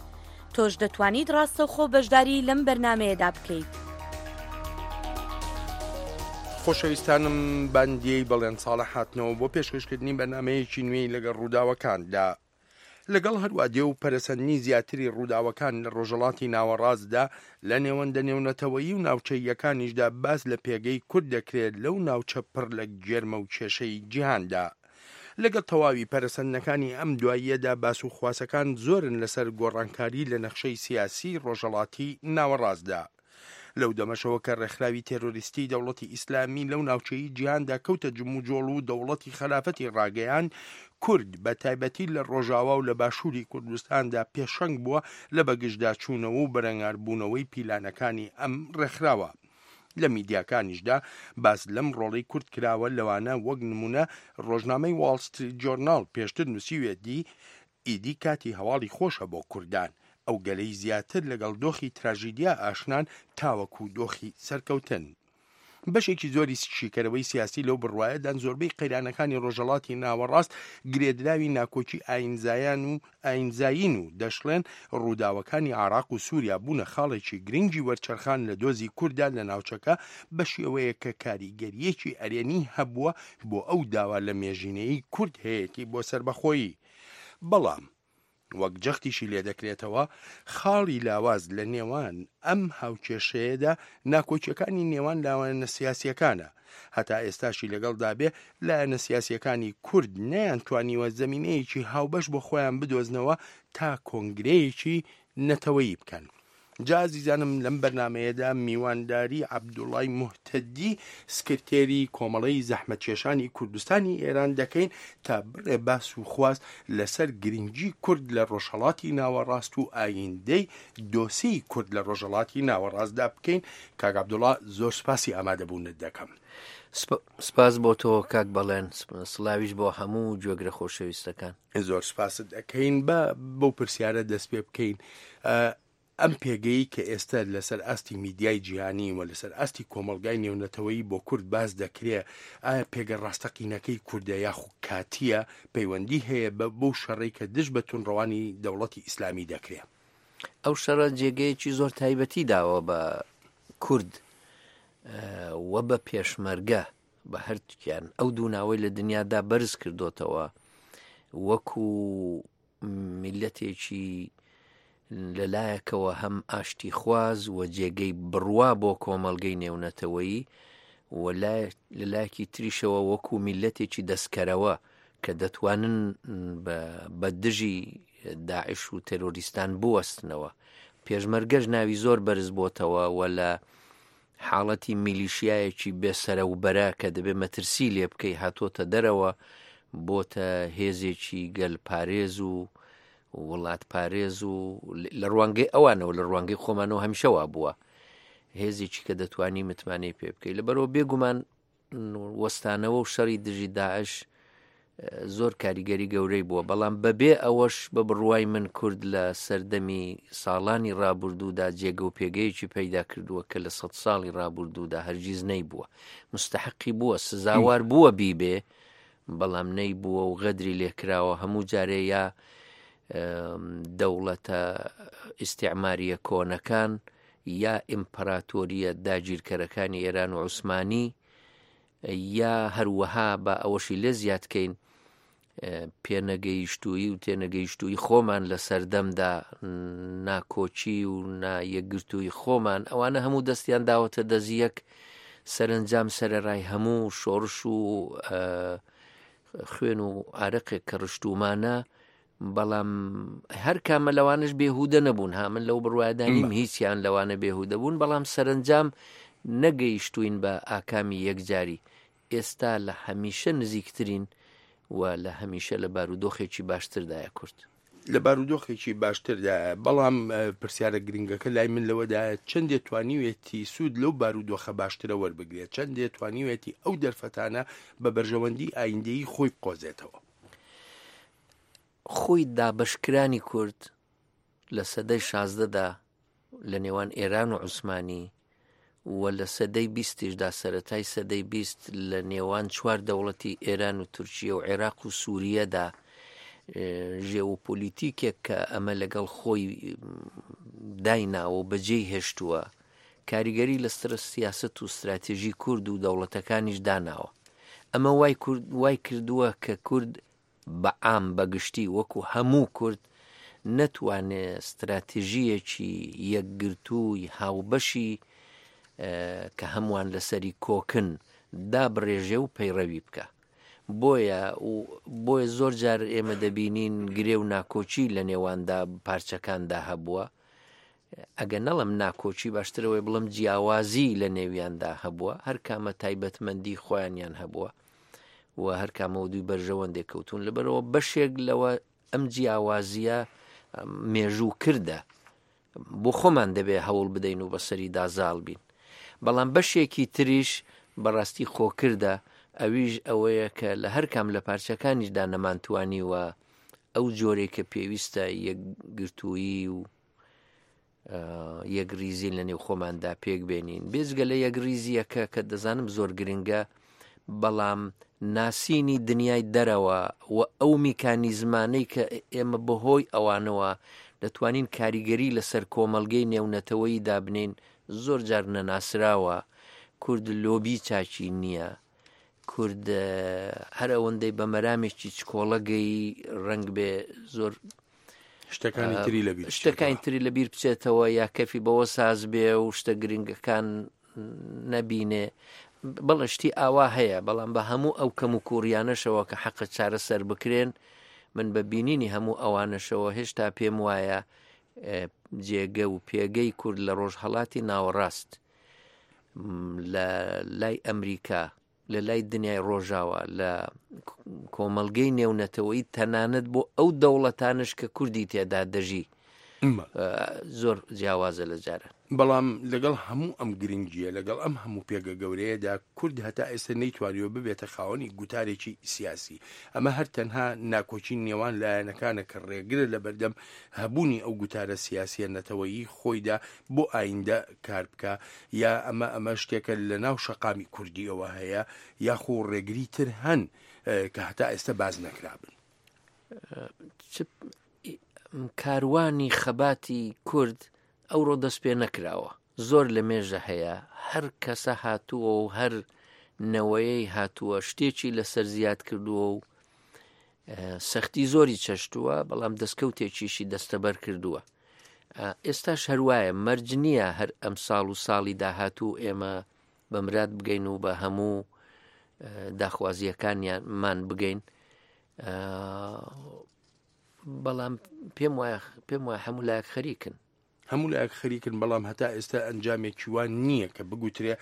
تۆش دەتوانیت ڕاستەوخۆ بەشداری لەم بەرنامەیەدا بکەیت. خۆشەویستانم باندیەی بەڵێن ساڵح هاتنەوە بۆ پێشکەشکردنی بەرنامەیەکی نوێی لەگەڵ ڕووداوەکاندا. لەگەڵ هەروادێ و پەرەسەندنی زیاتری ڕووداوەکان لە ڕۆژهەڵاتی ناوەڕاستدا، لە نێوەندە نێونەتەوەیی و ناوچەییەکانیشدا باس لە پێگەی کورد دەکرێت لەو ناوچە پڕ لە گێرمە و کێشەی جیهاندا. لەگەڵ تەواوی پەرەسەندنەکانی ئەم دواییەدا باس و خواسەکان زۆرن لەسەر گۆڕانکاری لە نەخشەی سیاسیی ڕۆژهەڵاتی ناوەڕاستدا. لەو دەمەشەوە کە ڕێکخراوی تێرۆریستی دەوڵەتی ئیسلامی لەو ناوچەی جیهاندا کەوتە جموجۆڵ و دەوڵەتی خەلافەتی ڕاگەیاند، کورد بە تایبەتی لە ڕۆژاوا و لە باشووری کوردستاندا پێشەنگ بووە لە بەگژداچوونەوە و بەرەنگاربوونەوەی پیلانەکانی ئەم ڕێکخراوە. لە میدیاکانیشدا باس لەم ڕۆڵەی کورد کراوە، لەوانە وەک نموونە ڕۆژنامەی واڵ ستریت جۆرناڵ پێشتر نووسیویەتی، ئیدی کاتی هەواڵی خۆشە بۆ کوردان، ئەو گەلەی زیاتر لەگەڵ دۆخی تراژیدیا ئاشنان تاوەکو دۆخی سەرکەوتن. بەشێکی زۆری شیکەرەوەی سیاسی لەو بڕوایەدان زۆربەی قەیرانەکانی ڕۆژهەڵاتی ناوەڕاست گرێدراوی ناکۆکی ئایینزایان و ئایینزایین و دەشڵێن ڕووداوەکانی عێراق و سووریا بوونە خاڵێکی گرنگی وەرچەرخان لە دۆزی کورددا لە ناوچەکە بە شێوەیەک کە کاریگەرییەکی ئەرێنی هەبووە بۆ ئەو داوا لەمێژینەیەی کورد هەیەتی بۆ سەربەخۆیی. بەڵام. وەک جەختیشی لێدەکرێتەوە، خاڵی لاواز لە نێوان ئەم هاوکێشەیەدا ناکۆکیەکانی نێوان لاوەنە سیاسیەکانە. هەتا ئێستاشی لەگەڵدا بێ، لایەنە سیاسیەکانی کورد نەیانتوانیوە زەمینەیەکی هاوبەش بۆ خۆیان بدۆزنەوە تا کۆنگرەیەکی نەتەوەیی بکەن. جا ئازیزانم لەم بەرنامەیەدا میوانداری عەبدوڵای موهتەدی سکرتێری کۆمەڵەی زەحمەتکێشانی کوردستانی ئێران دەکەین تا بڕێ باس و خواست لەسەر گرنگی کورد لە ڕۆژهەڵاتی ناوەڕاست و ئایندەی دۆسێی کورد لە ڕۆژهەڵاتی ناوەڕاستدا بکەین. کاک عەبدوڵا زۆر سپاسی ئامادەبوونت دەکەم. سپاس بۆ تۆ کاک بەڵێن، سڵاویش بۆ هەموو گوێگرە خۆشەویستەکان. زۆر سپاست ئەکەین. با بەو پرسیارە دەست پێ بکەین، ئەم پێگەی کە ئێستا لەسەر ئاستی میدیای جیهانی و لەسەر ئاستی کۆمەڵگای نێونەتەوەیی بۆ کورد باس دەکرێ، ئایا پێگە ڕاستەقینەکەی کوردە یاخو کاتییە، پەیوەندی هەیە بە بەو شەڕەی کە دژ بە توندڕەوانی دەوڵەتی ئیسلامی دەکرێ؟ ئەو شەڕە جێگەیەکی زۆر تایبەتی داوە بە کورد و بە پێشمەرگە، بە هەردووکیان ئەو دوو ناوەی لە دنیادا بەرز کردۆتەوە وەکو میلەتێکی لەلایەکەوە هەم ئاشتیخواز و جێگەی بڕوا بۆ کۆمەڵگەی نێونەتەوەیی و لەلایەکی تریشەوە وەکو میلەتێکی دەستکەرەوە کە دەتوانن بە دژی داعش و تەرۆریستان بوەستنەوە. پێشمەرگەش ناوی زۆر بەرز بۆتەوە و لە حاڵەتی میلیشیایەکی بێ سەرە و بەرە کە دەبێ مەترسی لێ بکەی هاتۆتە دەرەوە بۆتە هێزێکی گەل پارێز و وڵات پارێز و لە ڕوانگەی ئەوانەوە لە ڕوانگەی خۆمانەوە هەمیشە وا بووە هێزێکی کە دەتوانی متمانەی پێ بکەی لەبەرەوە بێگومان وەستانەوە و شەڕی دژی داعش زۆر کاریگەری گەورەی بووە، بەڵام بەبێ ئەوەش بە بڕوای من کورد لە سەردەمی ساڵانی ڕابوردوودا جێگە و پێگەیەکی پەیدا کردووە کە لە سەد ساڵی ڕابوردوودا هەرگیز نەیبووە. مستحقی بووە، سزاوار بووە بیبێ، بەڵام نەیبووە و غەدری لێکراوە هەموو جارێ یا دەوڵەتە ئیستعماریە کۆنەکان یا ئیمپراتۆریە داگیرکەرەکانی ئێران و عوسمانی یا هەروەها با ئەوەشی لێ زیاد کەین پێنەگەیشتوویی و تێنەگەیشتووی خۆمان لە سەردەمدا ناکۆکی و نا یەکگرتووی خۆمان ئەوانە هەموو دەستیان داوەتە دەست یەک سەرنجام سەرەڕای هەموو شۆڕش و خوێن و ئارەقێک کە ڕشتومانە بەڵام هەر کامە لەوانش بێهودە نەبوون ها من لەو بڕوایەدا نیم هیچیان لەوانە بێهودە بوون بەڵام سەرنجام نەگەیشتوین بە ئاکامی یەکجاری ئێستا لە هەمیشە نزیکترین و لە هەمیشە لە بارودۆخێکی باشتردایە کورد. لە بارودۆخێکی باشتردایە بەڵام پرسیارە گرنگەکە لای من لەوەدایە چەندێ توانیوێتی سوود لەو بارودۆخە باشترە وەربگرێت چەندێ توانیوێتی ئەو دەرفەتانە بە بەرژەوەندی ئایندەیی خۆی بقۆزێتەوە. خۆی دابەشکرانی کورد لە سەدەی شازدەدا لە نێوان ئێران و عوسمانی و لە سەدەی بیستیشدا سەرەتای سەدەی 20 لە نێوان چوار دەوڵەتی ئێران و تورکیە و عێراق و سووریەدا ژێوپۆلیتیکێک کە ئەمە لەگەڵ خۆی دایناوە و بەجێی هێشتووە کاریگەری لەسەر سیاسەت و ستراتێژی کورد و دەوڵەتەکانیش داناوە. ئەمە وای کورد وای کردووە کە کورد بە عام بە گشتی وەکو هەموو کورد نەتوانێ ستراتێژییەکی یەکگرتووی هاوبەشی کە هەمووان لەسەری کۆکن دابڕێژێ و پەیڕەوی بکا. بۆیە بۆیە زۆر جار ئێمە دەبینین گرێ و ناکۆکی لە نێواندا پارچەکاندا هەبووە. ئەگەر نەڵێم ناکۆکی باشترە وەی بڵێم جیاوازی لە نێویاندا هەبووە هەر کامە تایبەتمەندی خۆیانیان هەبووە و هەر کامەوە دوی بەرژەوەندێک کەوتون لەبەرەوە بەشێک لەوە ئەم جیاوازیە مێژوو کردە بۆ خۆمان دەبێ هەوڵ بدەین و بەسەری دازاڵ بین بەڵام بەشێکی تریش بەڕاستی خۆکردە ئەویش ئەوەیە کە لە هەر کام لە پارچەکانیشدا نەمانتوانیوە ئەو جۆرەی کە پێویستە یەکگرتوویی و یەکریزی لە نێو خۆماندا پێک بێنین بێجگە لە یەکریزیەکە کە دەزانم زۆر گرنگە بەڵام ناسینی دنیای دەرەوە و ئەو میکانیزمانەی کە ئێمە بەهۆی ئەوانەوە دەتوانین کاریگەری لەسەر کۆمەڵگەی نێونەتەوەیی دابنین زۆر جار نەناسراوە کورد لۆبی چاکی نییە کورد هەر ئەوەندەی بە مەرامێکی چکۆڵە گەیی ڕەنگ بێ زۆر. شتەکانی تری لەبیر شتەکانی تری لەبیر بچێتەوە یا کەفی بەوە ساز بێ و شتە گرنگەکان نەبینێ بەڵێ شتی ئاوا هەیە بەڵام بە هەموو ئەو کەم و کوڕیانەشەوە کە حەقە چارەسەر بکرێن من بە بینینی هەموو ئەوانەشەوە هێشتا پێم وایە جێگە و پێگەی کورد لە ڕۆژهەڵاتی ناوەڕاست لە لای ئەمریکا لە لای دنیای ڕۆژاوا لە کۆمەڵگەی نێونەتەوەی تەنانەت بۆ ئەو دەوڵەتانش کە کوردی تێدا دەژی زۆر جیاوازە لە جاران. بەڵام لەگەڵ هەموو ئەم گرنگییە، لەگەڵ ئەم هەموو پێگە گەورەیەدا، کورد هەتا ئێستا نەیتوانیوە ببێتە خاوەنی گوتارێکی سیاسی. ئەمە هەر تەنها ناکۆکی نێوان لایەنەکانە کە ڕێگرە لەبەردەم هەبوونی ئەو گوتارە سیاسییە نەتەوەیی خۆیدا بۆ ئایندە کار بکا، یا ئەمە ئەمە شتێکە لەناو شەقامی کوردییەوە هەیە، یاخو ڕێگری تر هەن کە هەتا ئێستا باس نەکرابن؟ چ کاروانی خەباتی کورد ئەوڕۆ دەست پێ نەکراوە زۆر لە مێژە هەیە هەر کەسە هاتووە و هەر نەوەیەی هاتووە شتێکی لەسەر زیاد کردووە و سەختی زۆری چەشتووە بەڵام دەستکەوتێکیشی دەستەبەر کردووە ئێستاش هەروایە مەرج نییە هەر ئەم ساڵ و ساڵی داهاتوو ئێمە بە مراد بگەین و بە هەموو داخوازیەکانیانمان بگەین بەڵام پێم وایە پێم وایە هەموو لایەک خەریکن. هەموو لایەک خەریکن بەڵام هەتا ئێستا ئەنجامێکی وا نییە کە بگوترێ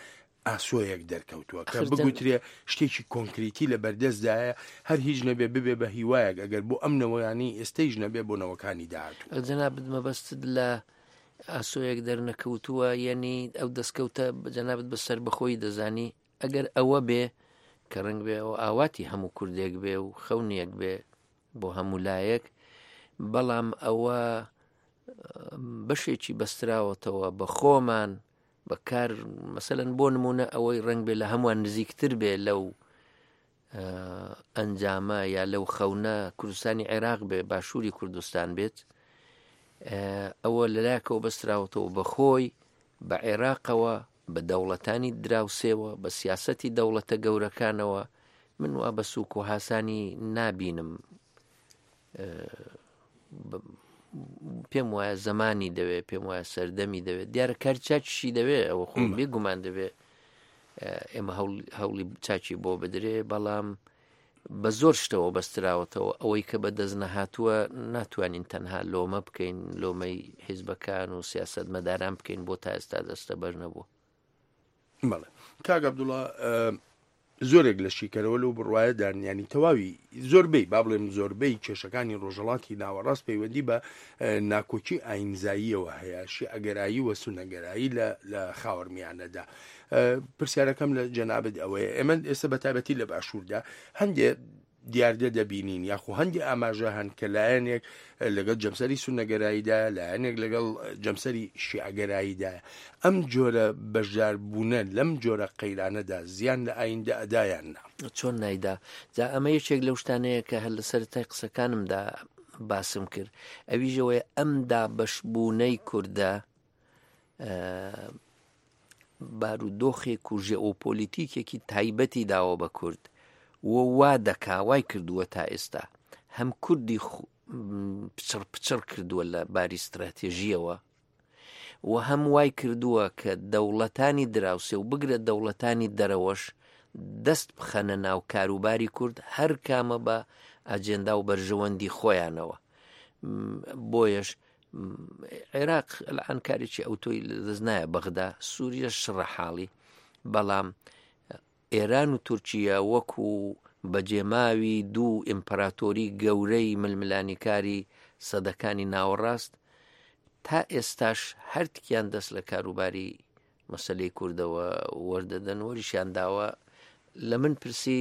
ئاسۆیەک دەرکەوتووە کە بگوترێ شتێکی کۆنکریتی لە بەردەستدایە هەر هیچ نەبێ ببێ بە هیوایەک ئەگەر بۆ ئەم نەوەیانی ئێستەیش نەبێ بۆ نەوەکانی داهاتوو. جەنابت مەبەستت لە ئاسۆیەک دەرنەکەوتووە یەنی ئەو دەستکەوتە جەنابت بە سەربەخۆیی دەزانی ئەگەر ئەوە بێ کە ڕەنگ بێ ئەوە ئاواتی هەموو کوردێک بێ و خەونێک بێ بۆ هەموو لایەک بەڵام ئەوە بەشێکی بەستراوەتەوە بە خۆمان بەکار مەسەەن بۆ نمونە ئەوەی ڕنگ بێ لە هەمووان نزیکتر بێ لەو ئەنجامە یا لەو خەونە کوردستانی عێراق بێ باشووری کوردستان بێت ئەوە لەلایەکەوە بەستراوەتەوە بە خۆی بە عێراقەوە بە دەوڵەتانی دراوسێوە، بە سیاسەتی دەوڵەتە گەورەکانەوە، من وا بە سووک و هاسانی نابینم. پێم وایە زەمانی دەوێت، پێم وایە سەردەمی دەوێت، دیارە کاری چاکیشی دەوێت، ئەوە خۆ بێگومان دەبێت ئێمە هەوڵی چاکی بۆ بدرێ، بەڵام بە زۆر شتەوە بەستراوەتەوە، ئەوەی کە بە دەست نەهاتووە ناتوانین تەنها لۆمە بکەین، لۆمەی حیزبەکان و سیاسەتمەداران بکەین بۆ تا ئێستا دەستەبەر نەبووە. بەڵێ کاک عەبدوڵا زۆرێک لە شیکەرەوە لەو بڕوایەدان ینی تەواوی زۆربەی با بڵێم زۆربەی کێشەکانی ڕۆژهەڵاتی ناوەڕاست پەیوەندی بە ناکۆکی ئاینزاییەوە هەیە شیعەگەرایی و سونەگەرایی لە لە خاوەرمیانەدا پرسیارەکەم لە جەنابت ئەوەیە ئێمە ئێستا بە تایبەتی لە باشووردا هەندێ دیاردە دەبینین یاخو هەندێ ئاماژە هەن کە لایەنێک لەگەڵ جەمسەری سونەگەراییدا لایەنێک لەگەڵ جەمسەری شیعگەراییدا ئەم جۆرە بەشداربوونە لەم جۆرە قەیرانەدا زیان لە ئایندە ئەدایان نا چۆن نایدا جا ئەمە یەکێک لەو شتانەیە کە هەر لە سەرەتای قسەکانمدا باسم کرد ئەویشەوەی ئەم دابەشبوونەی کوردە بارودۆخێک و ژێئۆپۆلیتیکێکی تایبەتی داوە بە کورد و وا دەکا وای کردووە تا ئێستا هەم کوردی پچڕ پچڕ کردووە لە باری ستراتێژیەوە و هەم وای کردووە کە دەوڵەتانی دراوسێ و بگرە دەوڵەتانی دەرەوەش دەست بخەنە ناو کاروباری کورد هەر کامە بە ئاجێندا و بەرژەوەندی خۆیانەوە بۆیەش عێراق الان کارێکی ئەوتۆی لەدەست نایە بەغدا سووریە شڕە حاڵی بەڵام ئێران و تورکیا وەکو بەجێماوی دوو ئیمپراتۆری گەورەی ململانیکاری سەدەکانی ناوەڕاست تا ئێستاش هەرتکیان دەست لە کاروباری مەسەلەی کوردەوە وەردەدەن وەریشیان داوە لە من پرسی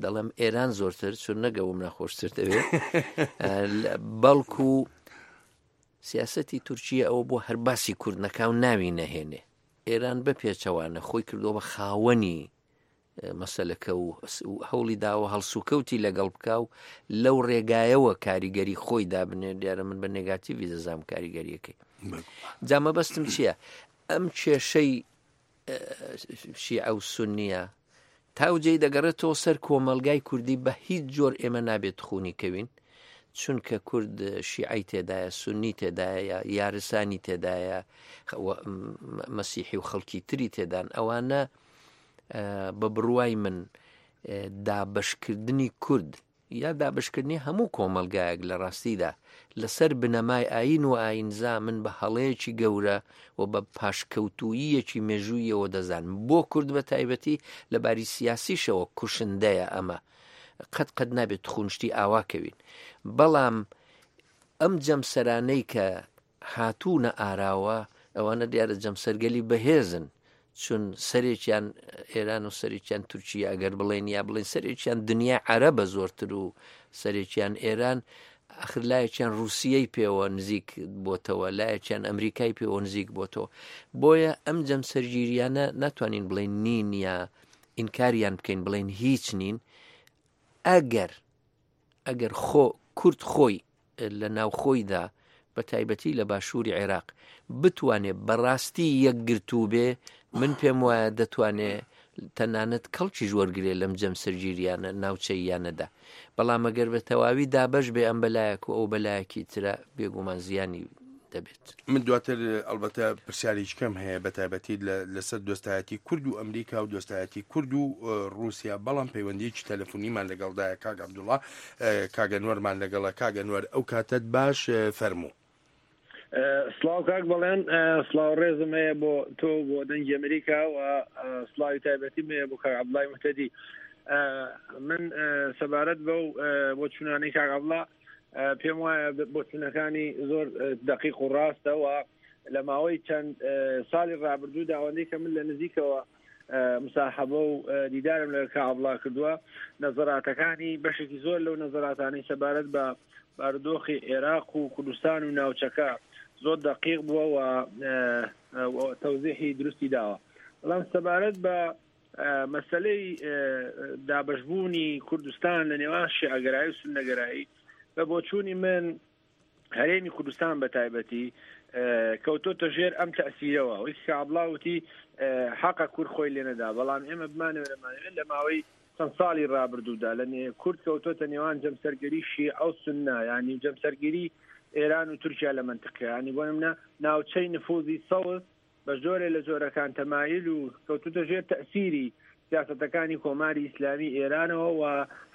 دەڵێم ئێران زۆرتر چون نەگەوم ناخۆشتر دەوێت بەڵکو سیاستی تورکیە ئەوە بۆ هەر باسی کورد نەکاو ناوی نەهێنێ ئێران بە پێچەوانە خۆی کردووە بە خاوەنی مەسەلەکە و هەوڵی داوە هەڵسوکەوتی لەگەڵ بکا و لەو ڕێگایەوە کاریگەری خۆی دابنێ دیارە من بە نێگاتیڤی دەزانم کاریگەریەکەی جا مەبەستم چییە ئەم کێشەی شیعە و سنیە تاوجێی دەگەڕێتەوە سەر کۆمەلگای کوردی بە هیچ جۆر ئێمە نابێت خونی کەوین. چونکە کورد شیعەی تێدایە، سوننی تێدایە، یارسانی تێدایە، مەسیحی و خەڵکی تری تێدان، ئەوانە بە بڕوای من دابەشکردنی کورد یا دابەشکردنی هەموو کۆمەڵگایەک لە ڕاستیدا لەسەر بنەمای ئایین و ئایینزا من بە هەڵەیەکی گەورە و بە پاشکەوتووییەکی مێژوویەوە دەزانم بۆ کورد بە تایبەتی لە باری سیاسیشەوە کوشندەیە ئەمە قەت قەت نابێت تخونشتی ئاوا کەوین بەڵام ئەم جەمسەرانەی کە هاتوونە ئاراوە ئەوانە دیارە جەمسەرگەلی بەهێزن چون سەرێکیان ئێران و سەرێکیان تورکیا ئەگەر بڵێن یا بڵێن سەرێکیان دنیای عەرەبە زۆرتر و سەرێکیان ئێران ئەخر لایەکیان ڕووسیەی پێوە نزیک بۆتەوە لایەکیان ئەمریکای پێوە نزیک بۆتەوە بۆیە ئەم جەمسەرگیریانە ناتوانین بڵێن نین یا ئینکاریان بکەین بڵێن هیچ نین ئەگەر ئەگەر خۆ کورد خۆی لە ناوخۆیدا بە تایبەتی لە باشووری عێراق بتوانێ بەڕاستی یەکگرتوو بێ من پێم وایە دەتوانێ تەنانەت کەڵکیش وەرگێ لەم جەمسەرگیریانە ناوچەییانەدا بەڵام ئەگەر بە تەواوی دابەش بێ ئەم بەلایەک و ئەو بەلایەکی ترە بێگومان زیانی دەبێت. من دواتر ئەڵبەتە پرسیارێکی کەم هەیە بە تایبەتی لەسەر دۆستایەتی کورد و ئەمریکا و دۆستایەتی کورد و ڕووسیا بەڵام پەیوەندیەکی تەلەفونیمان لەگەڵدایە کاک عەبدوڵا کاک ئەنوەرمان لەگەڵە کاک ئەنوەر ئەو کاتەت باش فەرموو. سڵاو کاک بەڵێن سڵاو ڕێزم هەیە بۆ تۆ بۆ دەنگی ئەمریکا و سڵاوی تایبەتیم هەیە بۆ کاک عەبدوڵای مهتەدی من سەبارەت بەو بۆ چونانەی کاک عەبدوڵا پێم وایە بۆچونەکانی زۆر دقیق و ڕاستە و لە ماوەی چەند ساڵی ڕابردوو داوەندەی کە من لە نزیکەوە مساحەبە و دیدارم لە کاعبڵا کردووە نەزەراتەکانی بەشێکی زۆر لەو نەزەراتانەی سەبارەت بە بارودۆخی عێراق و کوردستان و ناوچەکە زۆر دقیق بووە و تەوزیحی دروستی داوە بەڵام سەبارەت بە مەسەلەی دابەشبوونی کوردستان لە نێوان شیعەگەرایی و سوننەگەرایی بە بۆچوونی من هەرێمی کوردستان بە تایبەتی کەوتۆتە ژێر ئەم تەسیرەوە وەکی کە عەبڵا وتی حەقە کورد خۆی لێنەدا بەڵام ئێمە بمانەوێ نەمانەوێت لە ماوەی چەند ساڵی ڕابردوودا لە کورد کەوتۆتە نێوان جەمسەرگەری شیعە و سوننە یانی جەمسەرگیری ئێران و تورکیا لە مەنتقە ینی بۆ نمونە ناوچەی نفوزی سەوز بە جۆرێ لە جۆرەکان تەمایل و کەوتووتە ژێر تەئسیری سیاسەتەکانی کۆماری ئیسلامی ئێرانەوە و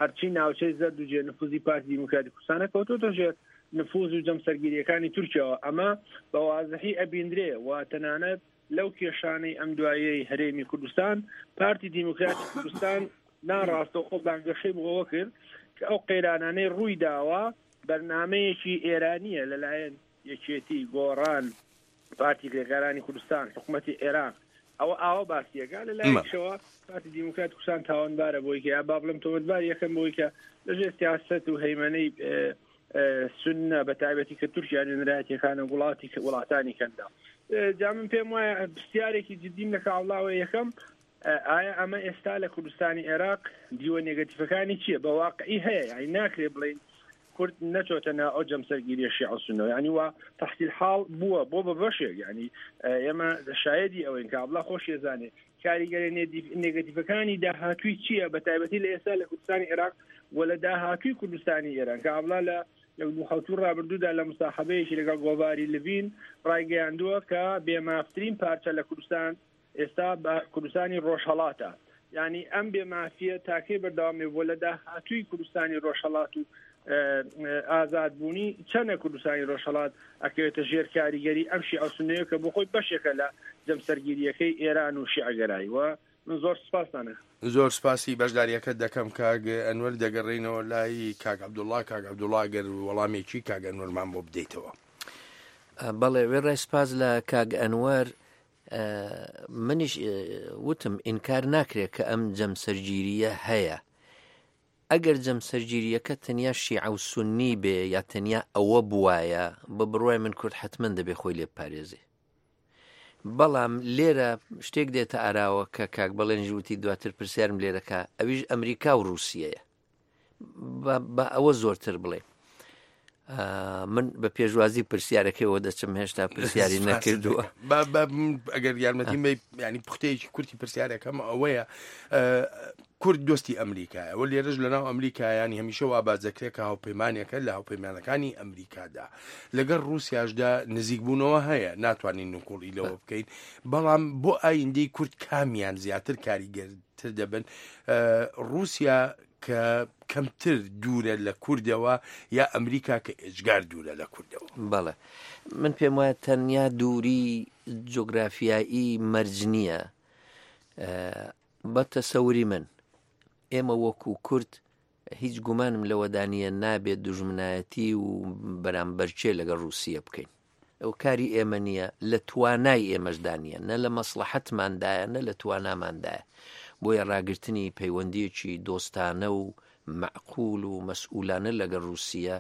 هەرچی ناوچەی زەرد و جێ نفوزی پارتی دیموکراتی کوردستانە کەوتووتە ژێر نفوز و جەمسەرگیریەکانی تورکیاوە ئەمە بە وازحی ئەبیندرێ و تەنانەت لەو کێشانەی ئەم دوایەی هەرێمی کوردستان پارتی دیموکراتی کوردستان ناڕاستەوخۆ بانگەشەی بۆ ئەوە کرد کە ئەو قەیرانانەی ڕووی داوە بەرنامەیەکی ئێرانیە لەلایەن یەکێتی گۆڕان پارتی کرێکارانی کوردستان، حکومەتی عێراق ئەوە ئاوا باسیەکە لە لایەکشەوە پارتی دیموکرات کوردستان تاوانبارە بۆی کە یا با بڵێم تۆمەتبار یەکەم بۆی کە لەژێر سیاسەت و هەیمەنەی سوننە بە تایبەتی کە تورکیا نوێنەرایەتیەکانە وڵاتی وڵاتانی کەندا جا من پێم وایە پرسیارێکی جدیم لە کاوڵاوە یەکەم ئایا ئەمە ئێستا لە کوردستانی عێراق دیوە نێگەتیفەکانی چییە بە واقعی هەیە یعنی ناکرێ بڵین کورد نەچۆتە ناو ئەو جەمسەرگیریە شیعە و سوننەوە یعنی وا تحصیل حاڵ بووە بۆ بە بەشێک یعنی ئێمە شایدی ئەوەین کە ئەبڵا خۆشی زانێ کاریگەری نێگەتیفەکانی داهاتووی چییە بە تایبەتی لە ئێستا لە کوردستانی عێراق و لە داهاتووی کوردستانی ئێران کە ئەبڵا لە لە دوو حەوتوو ڕابردوودا لە مساحبەیەکی لەگەڵ گۆڤاری لڤین ڕایگەیاندووە کە بێمافترین پارچە لە کوردستان ئێستا بە کوردستانی ڕۆژهەڵاتە یانی ئەم بێ مافیە تاکەی بەردەوامێ بۆ لە داهاتووی کوردستانی ڕۆژهەڵات و ئازادبوونی چەنە کوردستانی ڕۆژهەڵات ئەکەوێتە ژێر کاریگەری ئەم شیعە سوننەیە کە بۆ خۆی بەشێکە لە جەمسەرگیریەکەی ئێران و شیعەگەرایی و من زۆر سپاستانە. زۆر سپاسی بەشداریەکەت دەکەم کاک ئەنوەر دەگەڕێینەوە لای کاک عەبدوڵا کاک عەبدوڵا گەر وەڵامێکی کاک ئەنوەرمان بۆ بدەیتەوە. بەڵێ وێڕای سپاس لە کاک ئەنوەر منیش وتم ئینکار ناکرێت کە ئەم جەمسەرگیرییە هەیە. ئەگەر جەمسەرگیرییەکە تەنیا شیعە و سوننی بێ یا تەنیا ئەوە بوایە، بە بڕوای من کورد حەتمەن دەبێ خۆی لێ بپارێزێ. بەڵام لێرە شتێک دێتە ئاراوە کە کاک بەڵێنیش وتی دواتر پرسیارم لێرەکە ئەویش ئەمریکا و رووسیەیە. بە ئەوە زۆرتر بڵێ. من بە پێشوازی پرسیارەکەیەوە دەچم هێشتا پرسیاری نەکردووە ئەگەر یارمەتی ینی پوختەیەکی کورتی پرسیارەکەم ئەوەیە کورد دۆستی ئەمریکایە و لێرەش لەناو ئەمریکایانی هەمیشە وا باس دەکرێت کە هاوپەیمانێکە لە هاوپەیمانەکانی ئەمریکادا لەگەڵ ڕووسیاشدا نزیکبوونەوە هەیە ناتوانین نکوڵی لەوە بکەین بەڵام بۆ ئایندەی کورد کامیان زیاتر کاریگەرتر دەبن ڕووسیا کە کەمتر دوورە لە کوردەوە یا ئەمریکا کە ئێجگار دوورە لە کوردەوە؟ بەڵێ من پێم وایە تەنیا دووری جوگرافیایی مەرج نییە بە تەسەوری من ئێمە وەکو کورد هیچ گومانم لەوەدا نییە نابێت دوژمنایەتی و بەرامبەرچێ لەگەڵ رووسیە بکەین ئەو کاری ئێمە نییە لە توانای ئێمەشدا نییە نە لە مەسلحەتماندایە نە لە تواناماندایە بۆیە ڕاگرتنی پەیوەندیەکی دۆستانە و معقول و مەسئولانە لەگەڵ رووسیە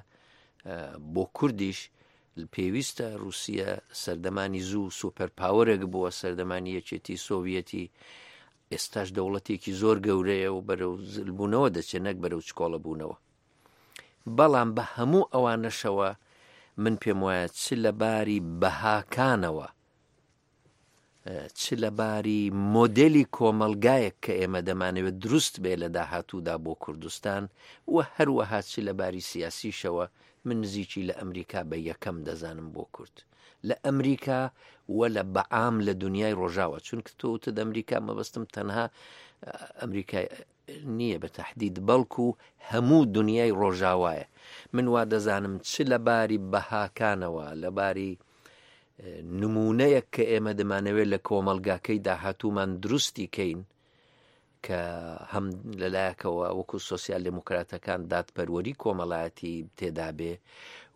بۆ کوردیش پێویستە رووسیە سەردەمانی زوو سوپەر پاوەرێک بووە سەردەمانی یەکێتی سۆڤیەتی ئێستاش دەوڵەتێکی زۆر گەورەیە و بەرەو زلبوونەوە دەچێت نەک بەرەو چکۆڵە بوونەوە بەڵام بە هەموو ئەوانەشەوە من پێم وایە چ لە باری بەهاکانەوە چ لە باری مۆدێلی کۆمەڵگایەک کە ئێمە دەمانەوێت دروست بێ لە داهاتوودا بۆ کوردستان و هەروەها چ لە باری سیاسیشەوە من نزیکی لە ئەمریکا بە یەکەم دەزانم بۆ کورد لە ئەمریکا و لە بەعام لە دنیای ڕۆژاوە چونکە تۆ وتت ئەمریکا مەبەستم تەنها ئەمریکای نییە بە تەحدید بەڵکو هەموو دنیای ڕۆژاوایە من وا دەزانم چ لە باری بەهاکانەوە لە باری نمونەیەک کە ئێمە دەمانەوێت لە کۆمەڵگاکەی داهاتوومان دروستی کەین کە هەم لەلایەکەوە وەکو سۆسیال دێموکراتەکان دادپەروەری کۆمەڵایەتی تێدابێ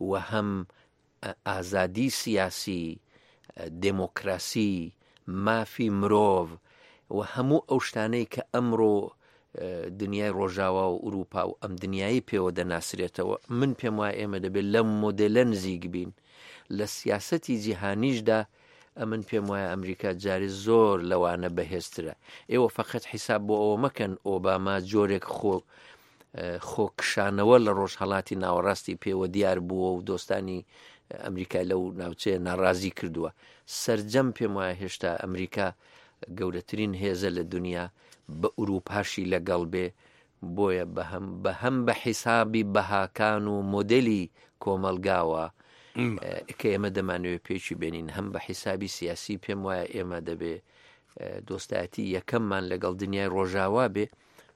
و هەم ئازادی سیاسی، دێمۆکراسی، مافی مرۆڤ و هەموو ئەو شتانەی کە ئەمڕۆ دنیای ڕۆژاوا و ئوروپا و ئەم دنیای پێوە دەناسرێتەوە من پێم وایە ئێمە دەبێت لەم مۆدێلە نزیک بین لە سیاسەتی جیهانیشدا ئەمن پێم وایە ئەمریکا جارێ زۆر لەوانە بەهێزترە ئێوە فقط حیساب بۆ ئەوە مەکەن ئۆباما جۆرێک خۆ خۆ کشانەوە لە ڕۆژهەڵاتی ناوەڕاستی پێوە دیار بووە و دۆستانی ئەمریکای لەو ناوچەیە ناڕازی کردووە سرجەم پێم وایە هێشتا ئەمریکا گەورەترین هێزە لە دنیا بە ئوروپاشی لەگەڵ بێ بۆیە بەهەم بەهەم بە حیسابی بەهاکان و مۆدلی کۆمەلگاوە کە ئێمە دەمانەوێت پێکی بێنین هەم بە حیسابی سیاسی پێم وایە ئێمە دەبێ دۆستایەتی یەکەممان لەگەڵ دنیای ڕۆژاوا بێ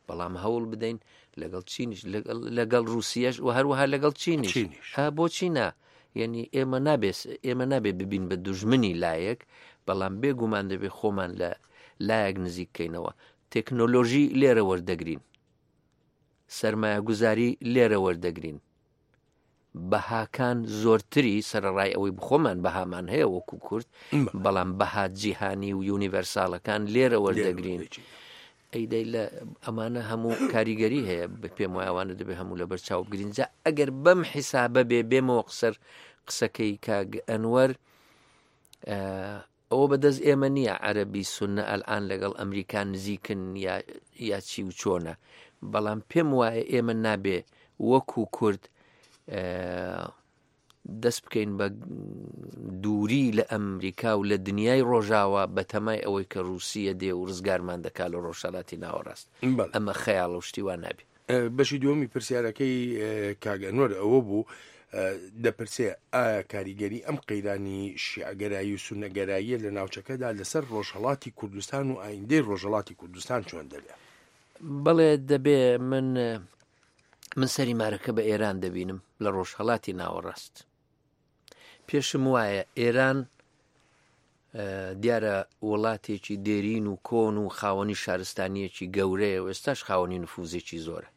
بەڵام هەوڵ بدەین لەگەڵ چینیش لەگەڵ رووسیەش و هەروەها لەگەڵ چینیش بۆچی نا یعنی ئێمە نابێت ئێمە نابێ ببین بە دوژمنی لایەک بەڵام بێگومان دەبێ خۆمان لە لایەک نزیککەینەوە تەکنۆلۆژی لێرە وەردەگرین سرمایەگوزاری لێرە وەردەگرین بەهاکان زۆرتری سەرەڕای ئەوەی بخۆمان بەهامان هەیە وەکو کورد بەڵام بەها جیهانی و یونیڤەرساڵەکان لێرە وەردەگرین ئەی دەی لە ئەمانە هەموو کاریگەری هەیە بە پێم وایە ئەوانە دەبێ هەموو لەبەر چاو بگرین جا ئەگەر بەم حیسابە بێ بێمەوە قسەر قسەکەی کاک ئەنوەر ئەوە بەدەست ئێمە نییە عەرەبی سوننە ئەلئان لەگەڵ ئەمریکا نزیکن یا یا چی و چۆنە بەڵام پێم وایە ئێمە نابێ وەکو کورد دەست بکەین بە دووری لە ئەمریکا و لە دنیای ڕۆژاوا بە تەمای ئەوەی کە رووسیە دێ و ڕزگارمان دەکا لە ڕۆژهەلاتی ناوەڕاست ئەمە خەیاڵ و شتی وا نابێ. بەشی دووەمی پرسیارەکەی کاک ئەنوەر ئەوە بوو دەپرسێ ئایا کاریگەری ئەم قەیرانی شیعەگەرایی و سوننەگەراییە لە ناوچەکەدا لەسەر ڕۆژهەڵاتی کوردستان و ئایندەی ڕۆژهەڵاتی کوردستان چۆن دەبێ؟ بەڵێ دەبێ من من سەری مارەکە بە ئێران دەبینم لە ڕۆژهەڵاتی ناوەڕاست پێشم وایە ئێران دیارە وڵاتێکی دێرین و کۆن و خاوەنی شارستانیەکی گەورەیە و ئێستاش خاوەنی نفوزێکی زۆرە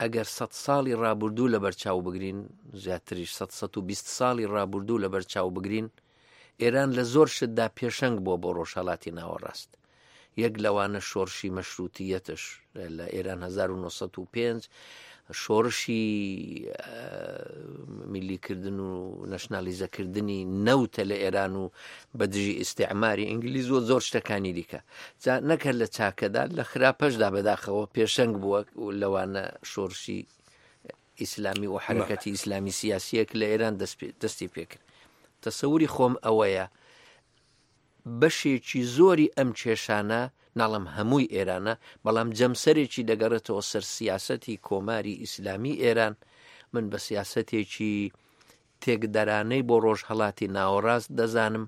ئەگەر سە ساڵی ڕابردوو لە بەرچاو بگرین زیاتریش 120 ساڵی ڕابردوو لە بەرچاو بگرین ئێران لە زۆر شتدا پێشەنگ بووە بۆ ڕۆژهەڵاتی ناوەڕاست یەک لەوانە شۆڕشی مەشروتیەتش لە ئێران 1905 شۆڕشی میلیکردن و نەشنالیزەکردنی نەوتە لە ئێران و بە دژی ئیسیعماری ئینگلیز و زۆر شتەکانی دیکە جا نەکەر لە چاکەدا لە خراپەشدا بەداخەوە پێشەنگ بووە لەوانە شۆڕشی. ئیسلامی و حەرەکەتی ئیسلامی سیاسیەک لە ئێران دەستی پێکرد تەسەوری خۆم ئەوەیە بەشێکی زۆری ئەم کێشانە ناڵم هەمووی ئێرانە بەڵام جەمسەرێکی دەگەڕێتەوە سەر سیاسەتی کۆماری ئیسلامی ئێران من بە سیاسەتێکی تێکدەرانەی بۆ ڕۆژهەڵاتی ناوەڕاست دەزانم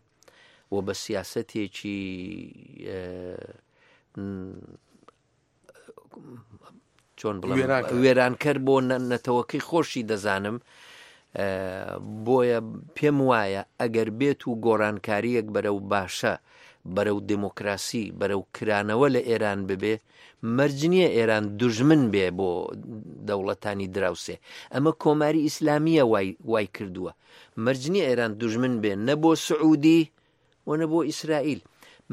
و بە سیاسەتێکی چۆن بڵێم وێرانکەر بۆ نەتەوەکەی خۆشی دەزانم بۆیە پێم وایە ئەگەر بێت و گۆڕانکاریەک بەرەو باشە بەرەو دموکراسی بەرەو کرانەوە لە ئێران ببێ مەرج نییە ئێران دوژمن بێ بۆ دەوڵەتانی دراوسێ ئەمە کۆماری ئیسلامیە وای کردووە مەرج نییە ئێران دوژمن بێ نە بۆ سعودی و نە بۆ ئیسرائیل.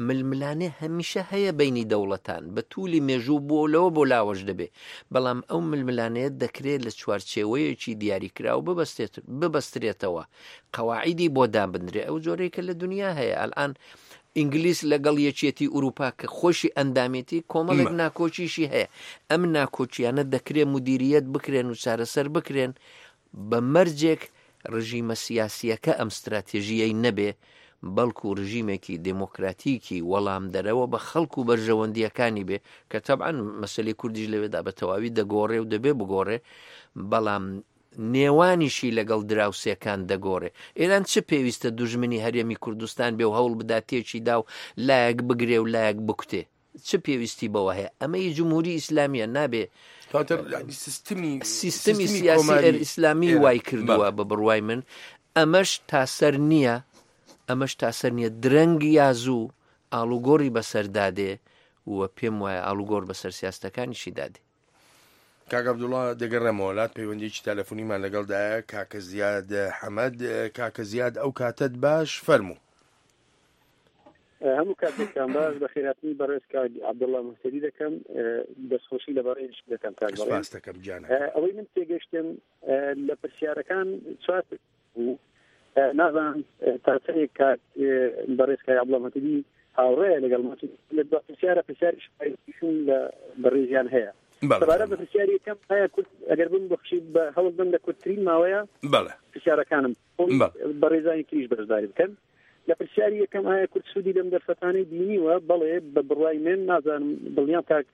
ململانێ هەمیشە هەیە بەینی دەوڵەتان، بە توولی مێژوو بۆ لەوە بۆ لاوەش دەبێ، بەڵام ئەو ململانێیە دەکرێ لە چوارچێوەیەکی دیاریکراو ببەستێت ببەسترێتەوە، قەواعیدی بۆ دابنرێ، ئەو جۆرەی کە لە دنیا هەیە. ئەلئان ئینگلیس لەگەڵ یەکێتی ئورووپا کە خۆشی ئەندامێتی، کۆمەڵێک ناکۆکیشی هەیە. ئەم ناکۆکییانە دەکرێ مودیرییەت بکرێن و چارەسەر بکرێن، بە مەرجێک ڕژیمە سیاسییەکە ئەم ستراتێژییەی نەبێ، بەڵکو ڕژیمێکی دێمۆکراتیکی وەڵامدەرەوە بە خەڵک و بەرژەوەندییەکانی بێ، کە تەبعەن مەسەلەی کوردیش لەوێدا بە تەواوی دەگۆڕێ و دەبێ بگۆڕێ، بەڵام نێوانیشی لەگەڵ دراوسێکان دەگۆڕێ. ئێران چ پێویستە دوژمنی هەرێمی کوردستان بێ و هەوڵ بدا تێکی دا و لایەک بگرێ و لایەک بکوتێ؟ چ پێویستی بەوە هەیە؟ ئەمە ی جمهوری ئیسلامیە نابێ سیستمی سیستمی سیاسی ئیسلامی وای کردووە بە بڕوای من ئەمەش تاسەر نییە ئەمەش تاسەر نییە درەنگ یا زوو ئاڵوگۆڕی بەسەردادێ و پێم وایە ئاڵوگۆڕ بەسەر سیاستەکانیشی دادێ. کاک عەبدوڵا دەگەڕێمەوە لات پەیوەندیی تەلەفۆنیمان لەگەڵدایە کاکە زیاد حەمەد کاکە زیاد ئەو کاتەت باش فەرموو. هەموو کاتێکتان باش بەخێرهاتنی بەڕێز کاک عەبدوڵا مهتەدی دەکەم دەستخۆشی لە بەڕێزیش دەکەم کاک بەڕێز سپاس دەکەم گیانەکەم. ئەوەی من تێگەشتم لە پرسیارەکان چوار بوو نازانم تا چەندێک کاک بەڕێز کاک عەبدوڵا مهتەدی هاوڕێیە لەگەڵ من لە دوا پرسیارە پرسیاری لە بەڕێزیان هەیە سەبارەت بە پرسیاری یەکەم ئایا کورد ئەگەر بم بەخشی بە هەوڵ بم لە کورتترین ماوەیە بەڵێ پرسیارەکانم بەڕێزانی تریش بەشداری بکەن لە پرسیاری یەکەم ئایا کورد سوودی لەم دەرفەتانەی بینیوە بەڵێ بە بڕوای من نازانم دڵنیام کاک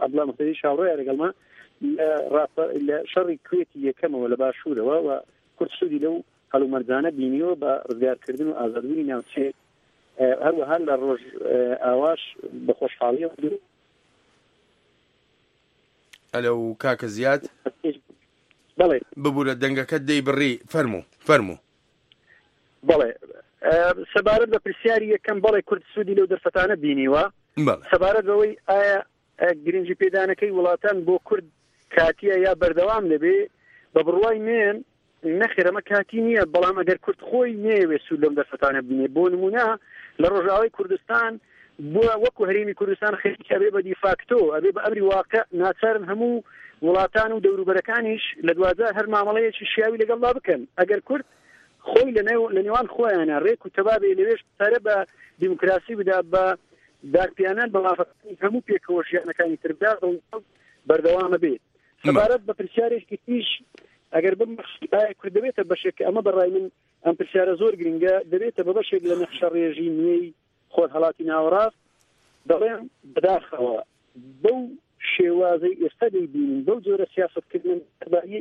عەبدوڵا مهتەدی شاوڕێیە لەگەڵما لە شەڕی کوێتی یەکەمەوە لە باشوورەوە و کورد سوودی لەو هەلومەرجانە بینیوە بە ڕزگارکردن و ئازادبوونی ناوچەیەک هەروەها لە ڕۆژ ئاواش بە خۆشحاڵیەوە ئەلەو کاکە زیاد بەڵێ ببورە دەنگەکەت دەیبڕی فەرموو فەرموو. بەڵێ سەبارەت بە پرسیاری یەکەم بەڵێ کورد سوودی لەو دەرفەتانە بینیوە سەبارەت بەوەی ئایا گرنگی پێدانەکەی وڵاتان بۆ کورد کاتیە یا بەردەوام دەبێ بە بڕوای من نەخێر ئەمە کاتی نییە، بەڵام ئەگەر کورد خۆی نەیەوێت سوود لەم دەرفەتانە ببینێت، بۆ نموونە لە ڕۆژئاوای کوردستان بووە وەکو هەرێمی کوردستان خەریکە ئەبێ بە دیفاکتۆ، ئەبێ بە ئەمری واقع، ناچارن هەموو وڵاتان و دەوروبەرەکانیش لە دواجار هەر مامەڵەیەکی شیاوی لەگەڵدا بکەن. ئەگەر کورد خۆی لە نێوان خۆیانا رێک و تەبا بێ لەوێش پەرە بە دیموکراسی بدا، بە دانپیانان بە مافەکانی هەموو پێکەوە ژیانەکانی تر بدا، دڵنیام بەردەوام ئەبێ. سەبارەت بە پرسیارێکی تریش ئەگەر بمبەخشی ئایا کورد دەبێتە بەشێک کە ئەمە بەڕای من ئەم پرسیارە زۆر گرنگە دەبێتە بە بەشێک لە نەخشە ڕێژی نوێی خۆرهەڵاتی ناوەڕاست دەڵێم بەداخەوە بەو شێوازەی ئێستا دەیبینین بەو جۆرە سیاستکردن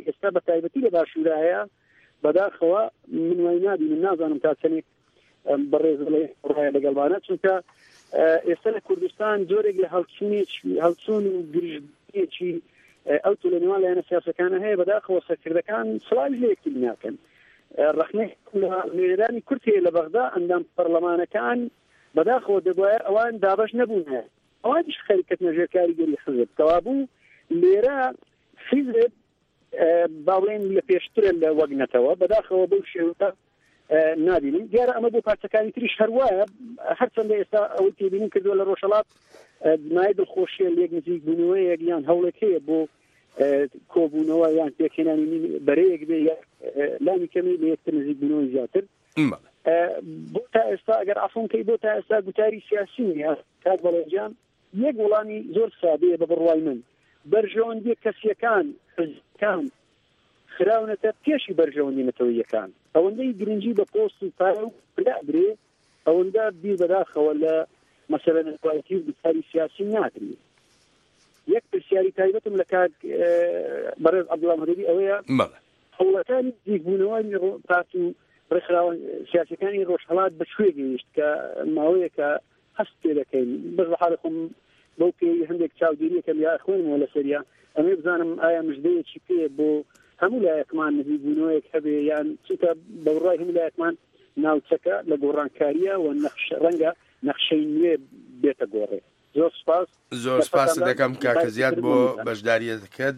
ئێستا بە تایبەتی لە باشوورە هەیە بەداخەوە من وای نابینم نازانم تا چەندێک بەڕێز ڕایە لەگەڵمانە چونکە ئێستا لە کوردستان جۆرێک لە هەڵچوونێکی هەڵچوون و گرژێکی ئەو تو لە نێوان لایەنە سیاسەکانە هەیە بەداخەوە سەرکردەکان سڵاوی لە یەکتری ناکەن ڕەخنەی لە نوێنەرانی کورد هەیە لە بەغدا ئەندام پەرلەمانەکان بەداخەوە دەبواە ئەوان دابەش نەبوون ئەوانیش خەریکەتنە ژێر کاریگەری حزب کەوابوو لێرە حیزب با بڵێین لە پێشترە لە وەک نەتەوە بەداخەوە بەو شێوە نابینم دیارە ئەمە بۆ پارچەکانی تریش هەروایە هەرچەندە ئێستا ئەوەی تێبینیم کردووە لە ڕۆژهەڵات مای دڵخۆشیە لێک نزیک بوونەوەیەک یان هەوڵێک هەیە بۆ کۆبوونەوە یان پێکهێنانی بەرەیەک بێ لانی کەمی لە یەکتر نزیک بوونەوەی زیاتر بۆ تا ئێستا ئەگەر عفوم کەی بۆ تا ئێستا گوتاری سیاسی نیە کاک بەڵێجان یەک وڵامی زۆر سادەیە بە بڕوای من، بەرژەوەندییە کەسییەکان، حزبەکان. خراونەتە پێشی بەرژەوەندی نەتەوەییەکان. ئەوەندەی گرنگی بە پۆست و پارە و پلە ئەدرێ، ئەوەندە بیر بەداخەوە لە مەسەلە نەتەوایەتی و گوتاری سیاسی ناکرێ. یەک پرسیاری تایبەتم لە کاک بەڕێز عەبدوڵا مهدەوی ئەوەیە، هەوڵەکانی نزیکبوونەوەی پارت و ڕێکخراوە سیاسیەکانی ڕۆژهەڵات بە کوێ گەیشت کە ماوەیەکە هەست پێ دەکەین بەس بە حاڵی خۆم بەو پێی هەندێک چاودێریەکەم یا خوێنمەوە لەسەریا ئەمێ بزانم ئایا مژدەیەکی پێ بۆ هەموو لایەکمان نزیکبوونەوەیەک هەبێ یان چونکە بە بڕوای هەموو لایەکمان ناوچەکە لە گۆڕانکاریە و نەخش ڕەنگە نەخشەی نوێ بێتە گۆڕێ. زۆر سپاس. زۆر سپاست دەکەم کاکە زیاد بۆ بەشداریەکەت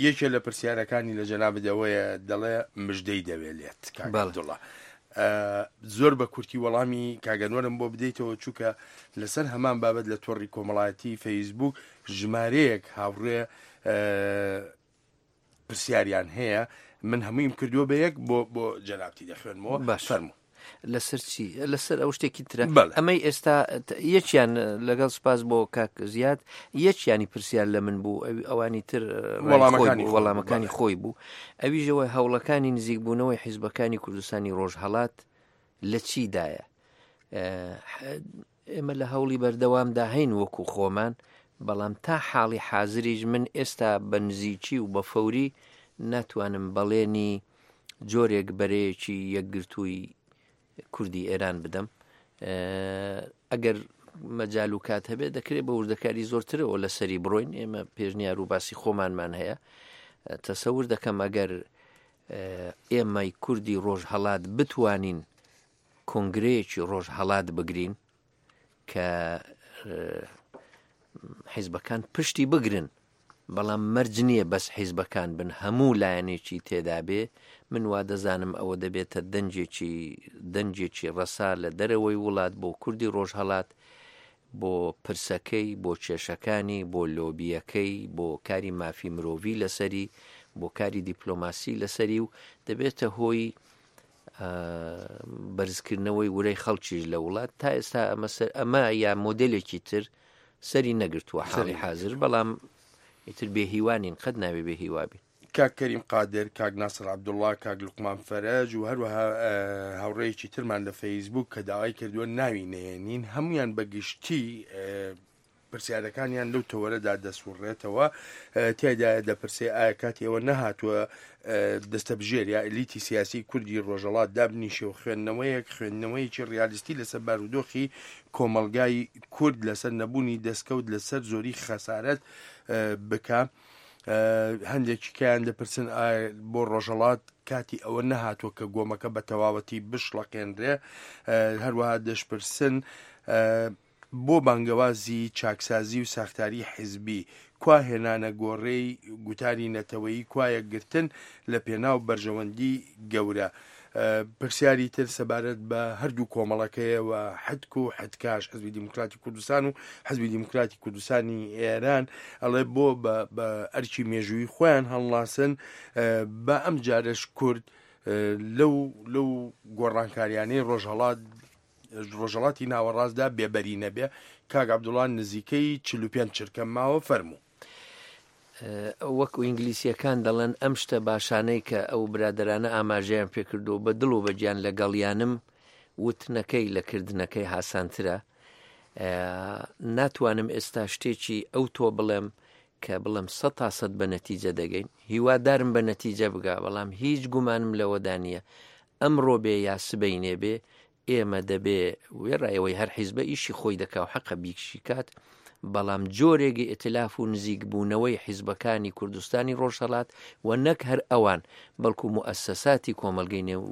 یەکێ لە پرسیارەکانی لە جەنابت ئەوەیە دەڵێ مژدەی دەوێ لێت کاک عەبدوڵا زۆر بە کورتی وەڵامی کاگەنوەرم بۆ بدەیتەوە چووکە لەسەر هەمان بابەت لە تۆڕی کۆمەڵایەتی فەیسبوک ژمارەیەک هاوڕێ پرسیاریان هەیە من هەموویم کردووە بە یەک بۆ بۆ جەنابتی دەخوێنمەوە باش فەرموو لەسەر چی لەسەر ئەو شتێکی ترە ئەمەی ئێستا یەکیان لەگەڵ سپاس بۆ کاک زیاد یەکیانی پرسیار لە من بوو ئەوی ئەوانی تر وەڵامەکانی وەڵامەکانی خۆی بوو ئەویژەوە هەوڵەکانی نزیکبوونەوەی حیزبەکانی کوردستانی ڕۆژهەڵات لە چیدایە ئێمە لە هەوڵی بەردەوامدا هەین وەکو خۆمان، بەڵام تا حاڵی حازریش من ئێستا بە نزیکی و بە فەوری ناتوانم بەڵێنی جۆرێک بەرەیەکی یەکگرتووی کوردی ئێران بدەم. ئەگەر مەجال و کات هەبێت دەکرێت بە وردەکاری زۆرترەوە لەسەری بڕۆین ئێمە پێشنیار و باسی خۆمانمان هەیە تەسەور دەکەم ئەگەر ئێمەی کوردی ڕۆژهەڵات بتوانین کۆنگرەیەکی ڕۆژهەڵات بگرین کە حیزبەکان پشتی بگرن بەڵام مەرج نییە بەس حیزبەکان بن هەموو لایەنێکی تێدابێ من وا دەزانم ئەوە دەبێتە دەنجێکی دەنجێکی ڕەسا لە دەرەوەی وڵات بۆ کوردی ڕۆژهەڵات بۆ پرسەکەی بۆ کێشەکانی بۆ لۆبیەکەی بۆ کاری مافی مرۆڤی لەسەری بۆ کاری دیپلۆماسی لەسەری و دەبێتە هۆی بەرزکردنەوەی ورەی خەڵکیش لە وڵات تا ئێستا ئەمە سەر ئەمە یا مۆدلێکی تر سەری نەگرتووە حاڵی حاضر بەڵام ئیتر بێ هیوانین قەت ناوێ بێ هیوابین. کاک کەریم قادر، کاک ناسر عەبدوڵڵا، کاک لوقمان فەرەج و هەروەها هاوڕێیەکی ترمان لە فەیسبووک کە داوای کردووە ناوی نەهێنین هەموویان بە گشتی پرسیارەکانیان لەو تەوەرەدا دەسوڕێتەوە، تیایدایە دەپرسێ ئایا کاتی ئەوە نەهاتووە دەستەبژێر یا ئێلیتی سیاسی کوردی ڕۆژەڵات دابنیشێ و خوێندنەوەیەک خوێندنەوەیەکی ڕیالیستی لەسەر بارودۆخی کۆمەڵگای کورد لەسەر نەبوونی دەستکەوت لەسەر زۆری خەسارەت بکا؟ هەندێکی کەیان دەپرسن ئایا بۆ ڕۆژەڵات کاتی ئەوە نەهاتووە کە گۆمەکە بە تەواوەتی بشڵەقێنرێ هەروەها دەشپرسن بۆ بانگەوازی چاکسازی و ساختاری حیزبی، کوا هێنانە گۆڕێی گوتاری نەتەوەیی، کوا یەکگرتن لە پێناو بەرژەوەندی گەورە؟ پرسیاری تر سەبارەت بە هەردوو کۆمەڵەکەیە و حدک و حدکاش، حزبی دیموکراتی کوردستان و حزبی دیموکراتی کوردستانی ئێران، ئەڵێ بۆ بە ئەرکی مێژوویی خۆیان هەڵناسن، با ئەمجارەش کورد لەو لەو گۆڕانکاریانەی ڕۆژهەڵات ڕۆژهەڵاتی ناوەڕاستدا بێبەری نەبێ. کاک عەبدوڵا نزیکەی 45 چرکەم ماوە فەرموو. وەکو ئینگلیسیەکان دەڵێن ئەم شتە باشانەی کە ئەو برادەرانە ئاماژەیان پێکردو بە دڵ و بە گیان لەگەڵیانم وتنەکەی لە کردنەکەی هاسانترە ناتوانم ئێستا شتێکی ئەو تۆ بڵێم کە بڵێم سە تا سەد بە نەتیجە دەگەین هیوادارم بە نەتیجە بگا بەڵام هیچ گومانم لەوەدا نییە ئەمڕۆ بێ یا سبەینێ بێ ئێمە دەبێ وێڕای ئەوەی هەر حیزبە ئیشی خۆی دەکا و حەقە بیکشی کات، بەڵام جۆرێک ئیتلاف و نزیک بوونەوەی حیزبەکانی کوردستانی ڕۆژهەڵات و نەک هەر ئەوان بەڵکو موئەسەساتی کۆمەڵگەی نێو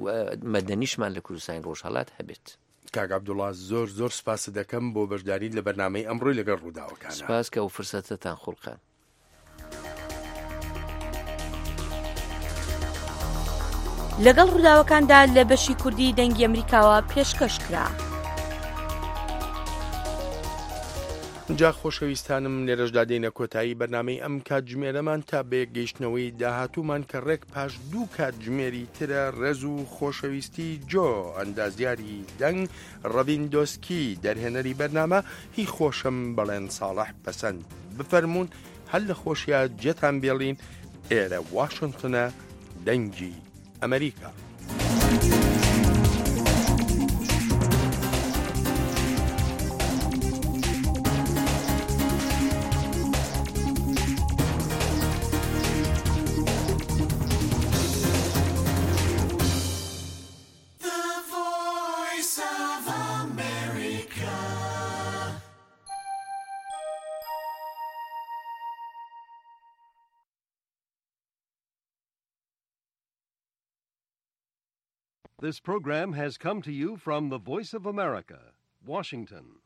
مەدەنیشمان لە کوردستانی ڕۆژهەڵات هەبێت. کاک عەبدوڵا زۆر زۆر سپاست دەکەم بۆ بەشداریت لە بەرنامەی ئەمڕۆی لەگەڵ ڕووداوەکانا. سپاس کە ئەو فرسەتەتان خوڵقاند. لەگەڵ ڕووداوەکاندا لە بەشی کوردی دەنگی ئەمریکاوە پێشکەش کرا. جا خۆشەویستانم لێرەشدا دێینە کۆتایی بەرنامەی ئەم کاتژمێرەمان تا بەیەک گەیشتنەوەی داهاتوومان کە ڕێک پاش دوو کاتژمێری ترە ڕێز و خۆشەویستی جۆ ئەندازیاری دەنگ ڕەڤین دۆسکی دەرهێنەری بەرنامە هی خۆشم بەڵێن ساڵح پەسەند بفەرموون هەر لە خۆشیا جێتان بێڵین. ئێرە واشنتنە دەنگی ئەمریکا. This program has come to you from the Voice of America, Washington.